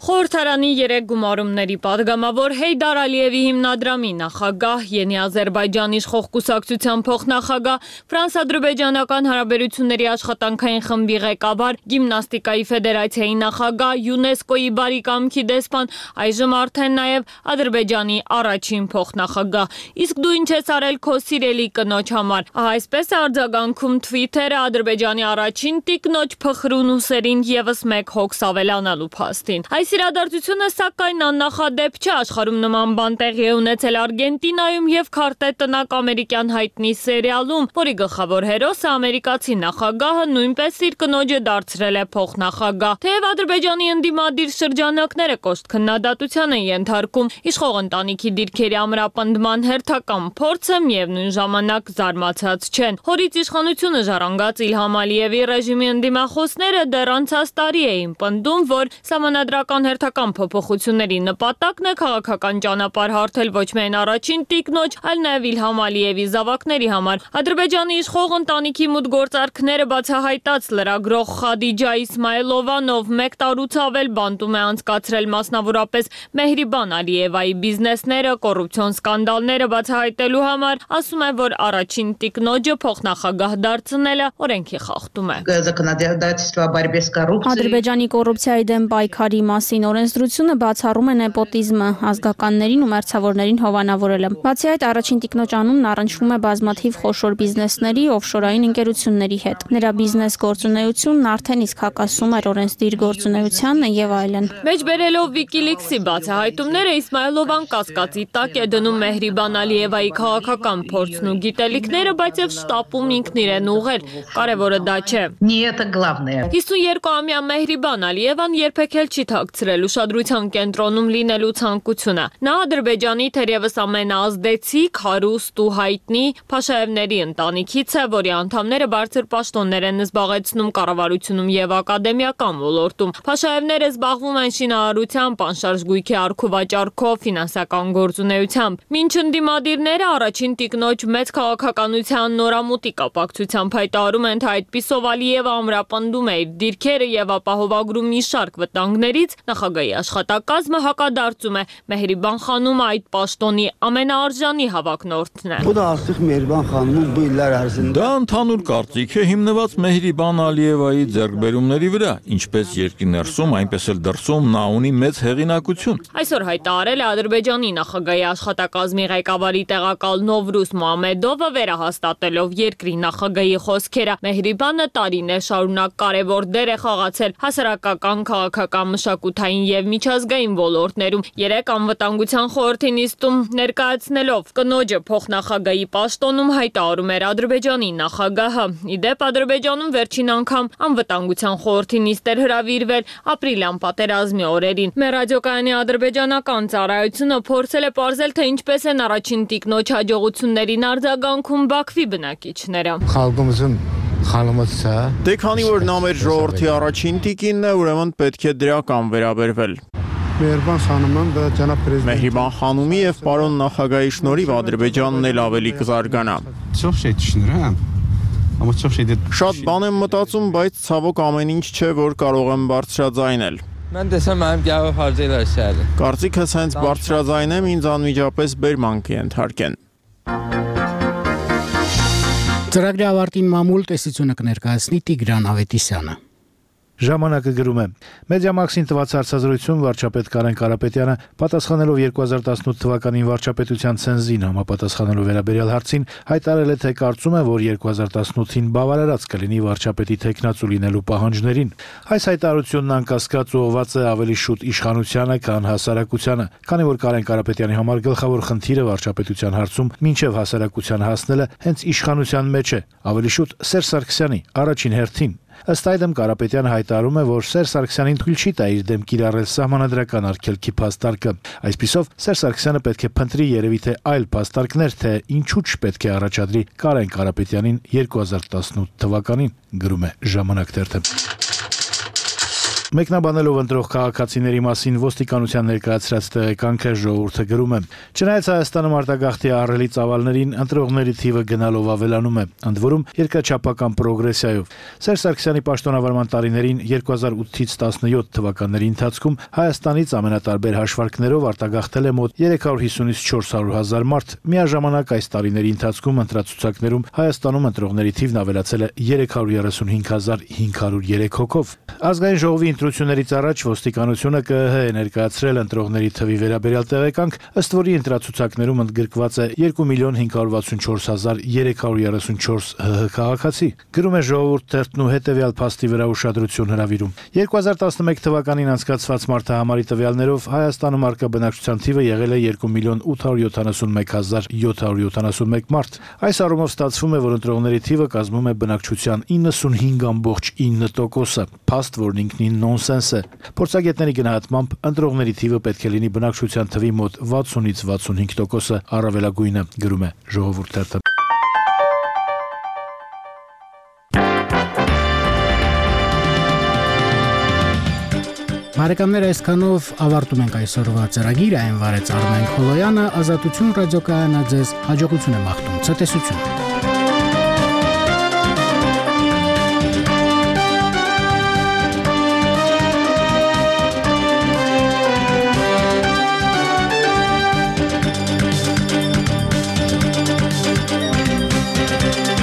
Խորհրդարանի 3 գումարումների պատգամավոր Հեյդար Ալիևի հիմնադրամի նախագահ, Ենի Ադրբեջանի իշխող կուսակցության փոխնախագահ, Ֆրանս-ադրբեջանական հարաբերությունների աշխատանքային խմբի ղեկավար, գիմնաստիկայի ֆեդերացիայի նախագահ, ՅՈՒՆԵՍԿՕ-ի բարի կամքի դեսպան, այժմ արդեն նաև Ադրբեջանի առաջին փոխնախագահ։ Իսկ դու ինչ ես արել քո սիրելի կնոջ համար։ Այսպես է արձագանքում Twitter-ը Ադրբեջանի առաջին տիկնոջ փխրուն ուսերին եւս մեկ հոգս ավելանալու փաստին։ Այս իրադարձությունը սակայն աննախադեպ չէ, աշխարհում նման բան տեղի է ունեցել Արգենտինայում եւ Քարտե տնակ ամերիկյան հայտնի սերիալում, որի գլխավոր հերոսը ամերիկացի նախագահը նույնպես իր կնոջը դարձրել է փոխնախագահ։ Թեև Ադրբեջանի ընդդիմադիր շրջանակները կոշտ քննադատության են ենթարկում, իշխող ընտանիքի դիրքերի ամրապնդման հերթական փորձը միևնույն ժամանակ զարմացած չեն։ Հորից իշխանությունը ժառանգած Իլհամ Ալիևի ռեժիմի ընդդիմախոսները դեռ անցած տարի էին պնդում, որ սահմանադրական հերթական փոփոխությունների նպատակն է քաղաքական ճանապարհ հարթել ոչ միայն առաջին տիկնոջ, այլ նաև Իլհամ Ալիևի զավակների համար։ Ադրբեջանի իշխող ընտանիքի մուտգործարքները բացահայտած լրագրող Խադիջա Իսմայելովան, ով 1 տարուց ավել բանտում է անցկացրել մասնավորապես Մեհրիբան Ալիևայի բիզնեսները, կոռուպցիոն սկանդալները բացահայտելու համար, ասում է, որ առաջին տիկնոջը փոխնախագահ դարձնելը օրենքի խախտում է։ Ադրբեջանի կոռուպցիայի դեմ պայքարի մասին օրենսդրությունը բացառում է նեպոտիզմը, ազգականներին ու մերձավորներին հովանավորելը։ Բացի այդ, առաջին տիկնոջ անունն առնչվում է բազմաթիվ խոշոր բիզնեսների, օֆշորային ընկերությունների հետ։ Նրա բիզնես գործունեությունն արդեն իսկ հակասում էր օրենսդիր գործունեությանը եւ այլն։ Մեջբերելով Wikileaks-ի բացահայտումները Իսմայելովան կասկածի տակ է դնում Մեհրիբան Ալիևայի քաղաքական փորձն ու գիտելիքները, բայց եւ շտապում ինքն իրեն ուղղել։ Կարևորը դա չէ։ 52-ամյա Մեհրիբան Ալիևան երբեք էլ չի թաքցրել ուշադրության կենտրոնում լինելու ցանկությունը։ Նա Ադրբեջանի թերևս ամենաազդեցիկ, հարուստ ու հայտնի Փաշաևների ընտանիքից է, որի անդամները բարձր պաշտոններ են զբաղեցնում կառավարությունում եւ ակադեմիական ոլորտում։ Փաշաևները զբաղվում են շինարարությամբ, անշարժ գույքի առքուվաճառքով, ֆինանսական գործունեությամբ։ Մինչ ընդդիմադիրները առաջին տիկնոջ մեծ քաղաքականության նորամուտի կապակցությամբ հայտարարում են, թե այդպիսով Ալիևը ամրապնդում է իր դիրքերը եւ ապահովագրում մի շարք վտանգներից, նախագահի աշխատակազմը հակադարձում է Մեհրիբան խանումը այդ պաշտոնի ամենաարժանի հավակնորդն է։ Դա ընդհանուր կարծիք է հիմնված Մեհրիբան Ալիևայի ձեռքբերումների վրա, ինչպես երկրի ներսում, այնպես էլ դրսում նա ունի մեծ հեղինակություն։ Այսօր հայտարարել է Ադրբեջանի նախագահի աշխատակազմի ղեկավարի տեղակալ Նովրուզ Մոհամեդովը, վերահաստատելով երկրի նախագահի խոսքերը։ Մեհրիբանը տարիներ շարունակ կարևոր դեր է խաղացել հասարակական, քաղաքական, մշակութային եւ միջազգային ոլորտներում։ 3 անվտանգության խորհրդի նիստում ներկայացնելով կնոջը փոխնախագահի պաշտոնում հայտարարում էր Ադրբեջանի նախագահը։ Իդեպ Ադրբեջանում վերջին անգամ անվտանգության խորհրդի նիստ էր հրավիրվել ապրիլյան պատերազմի օրերին։ Մեր ռադիոկայանի ադրբեջանական ծառայությունը փորձել է պարզել, թե ինչպես են առաջին տիկնոջ հաջողություններին արձագանքում Բաքվի բնակիչները։ Դե քանի որ նա մեր ժողովրդի առաջին տիկինն է, ուրեմն պետք է դրական վերաբերվել։ Մեհրիբան խանումի եւ պարոն նախագահի շնորհիվ Ադրբեջանն էլ ավելի կզարգանա։ Շատ բան եմ մտածում, բայց ցավոք ամեն ինչ չէ, որ կարող եմ բարձրաձայնել։ Կարծիքս հենց բարձրաձայնեմ, ինձ անմիջապես բերման կենթարկեն։ Ծրագրի ավարտին մամուլ տեսությունը կներկայացնի Տիգրան Ավետիսյանը։ Ժամանակը գրում է. Մեդիամաքսին տված հարցազրույցում վարչապետ Կարեն Կարապետյանը պատասխանելով 2018 թվականին վարչապետության ցենզին համապատասխանելով վերաբերյալ հարցին հայտարարել է, թե կարծում է, որ 2018-ին բավարարած կլինի վարչապետի թեկնածու լինելու պահանջներին։ Այս հայտարարությունն անկասկած ուղղված է ավելի շուտ իշխանությանը, քան հասարակությանը, քանի որ Կարեն Կարապետյանի համար գլխավոր խնդիրը վարչապետության հարցում մինչև հասարակության հասնելը հենց իշխանության մեջ է, ավելի շուտ Սերժ Սարգսյանի առաջին հերթին։ Ըստ այդմ Կարապետյանը հայտարարում է, որ Սերժ Սարգսյանին թույլ չի տա իր դեմ կիրառել սահմանադրական արգելքի փաստարկը։ Այսպիսով Սերժ Սարգսյանը պետք է փնտրի երևի թե այլ փաստարկներ, թե ինչու չպետք է առաջադրի Կարեն Կարապետյանին 2018 թվականին, գրում է Ժամանակ թերթը։ Մեկնաբանելով ընտրող քաղաքացիների մասին ոստիկանության ներկայացրած տեղեկանքը ժողովուրդը գրում է. Չնայած Հայաստանում արտագաղթի ահռելի ծավալներին ընտրողների թիվը գնալով ավելանում է, ընդ որում երկրաչափական պրոգրեսիայով։ Սերժ Սարգսյանի պաշտոնավարման տարիներին 2008-ից 17 թվականների ընթացքում Հայաստանից ամենատարբեր հաշվարկներով արտագաղթել է մոտ 350-ից 400 հազար մարդ։ Միաժամանակ այս տարիների ընթացքում ընտրացուցակներում Հայաստանում ընտրողների թիվն ավելացել է 335.503 հոգով։ Ազգային ժողովի ընտրություններից առաջ ոստիկանությունը ԿԸՀ է ներկայացրել ընտրողների թվի վերաբերյալ տեղեկանք, ըստ որի ընտրացուցակներում ընդգրկված է 2,564,334 ՀՀ քաղաքացի։ Գրում է Ժողովուրդ թերթն ու հետևյալ փաստի վրա ուշադրություն հրավիրում։ 2011 թվականին անցկացված մարդահամարի տվյալներով Հայաստանում առկա բնակչության թիվը եղել է 2,871,771 մարդ։ Այս առումով ստացվում է, որ ընտրողների թիվը կազմում է բնակչության 95.9%-ը, փաստ, որն ինքնին նոնսենս է։ Փորձագետների գնահատմամբ ընտրողների թիվը պետք է լինի բնակչության թվի մոտ 60-ից 65%-ը առավելագույնը, գրում է Ժողովուրդ թերթը։ Բարեկամներ, այսքանով ավարտում ենք այսօրվա ծրագիրը, այն վարեց Արմեն Խոլոյանը, Ազատություն ռադիոկայանը ձեզ հաջողություն է մաղթում, ցտեսություն։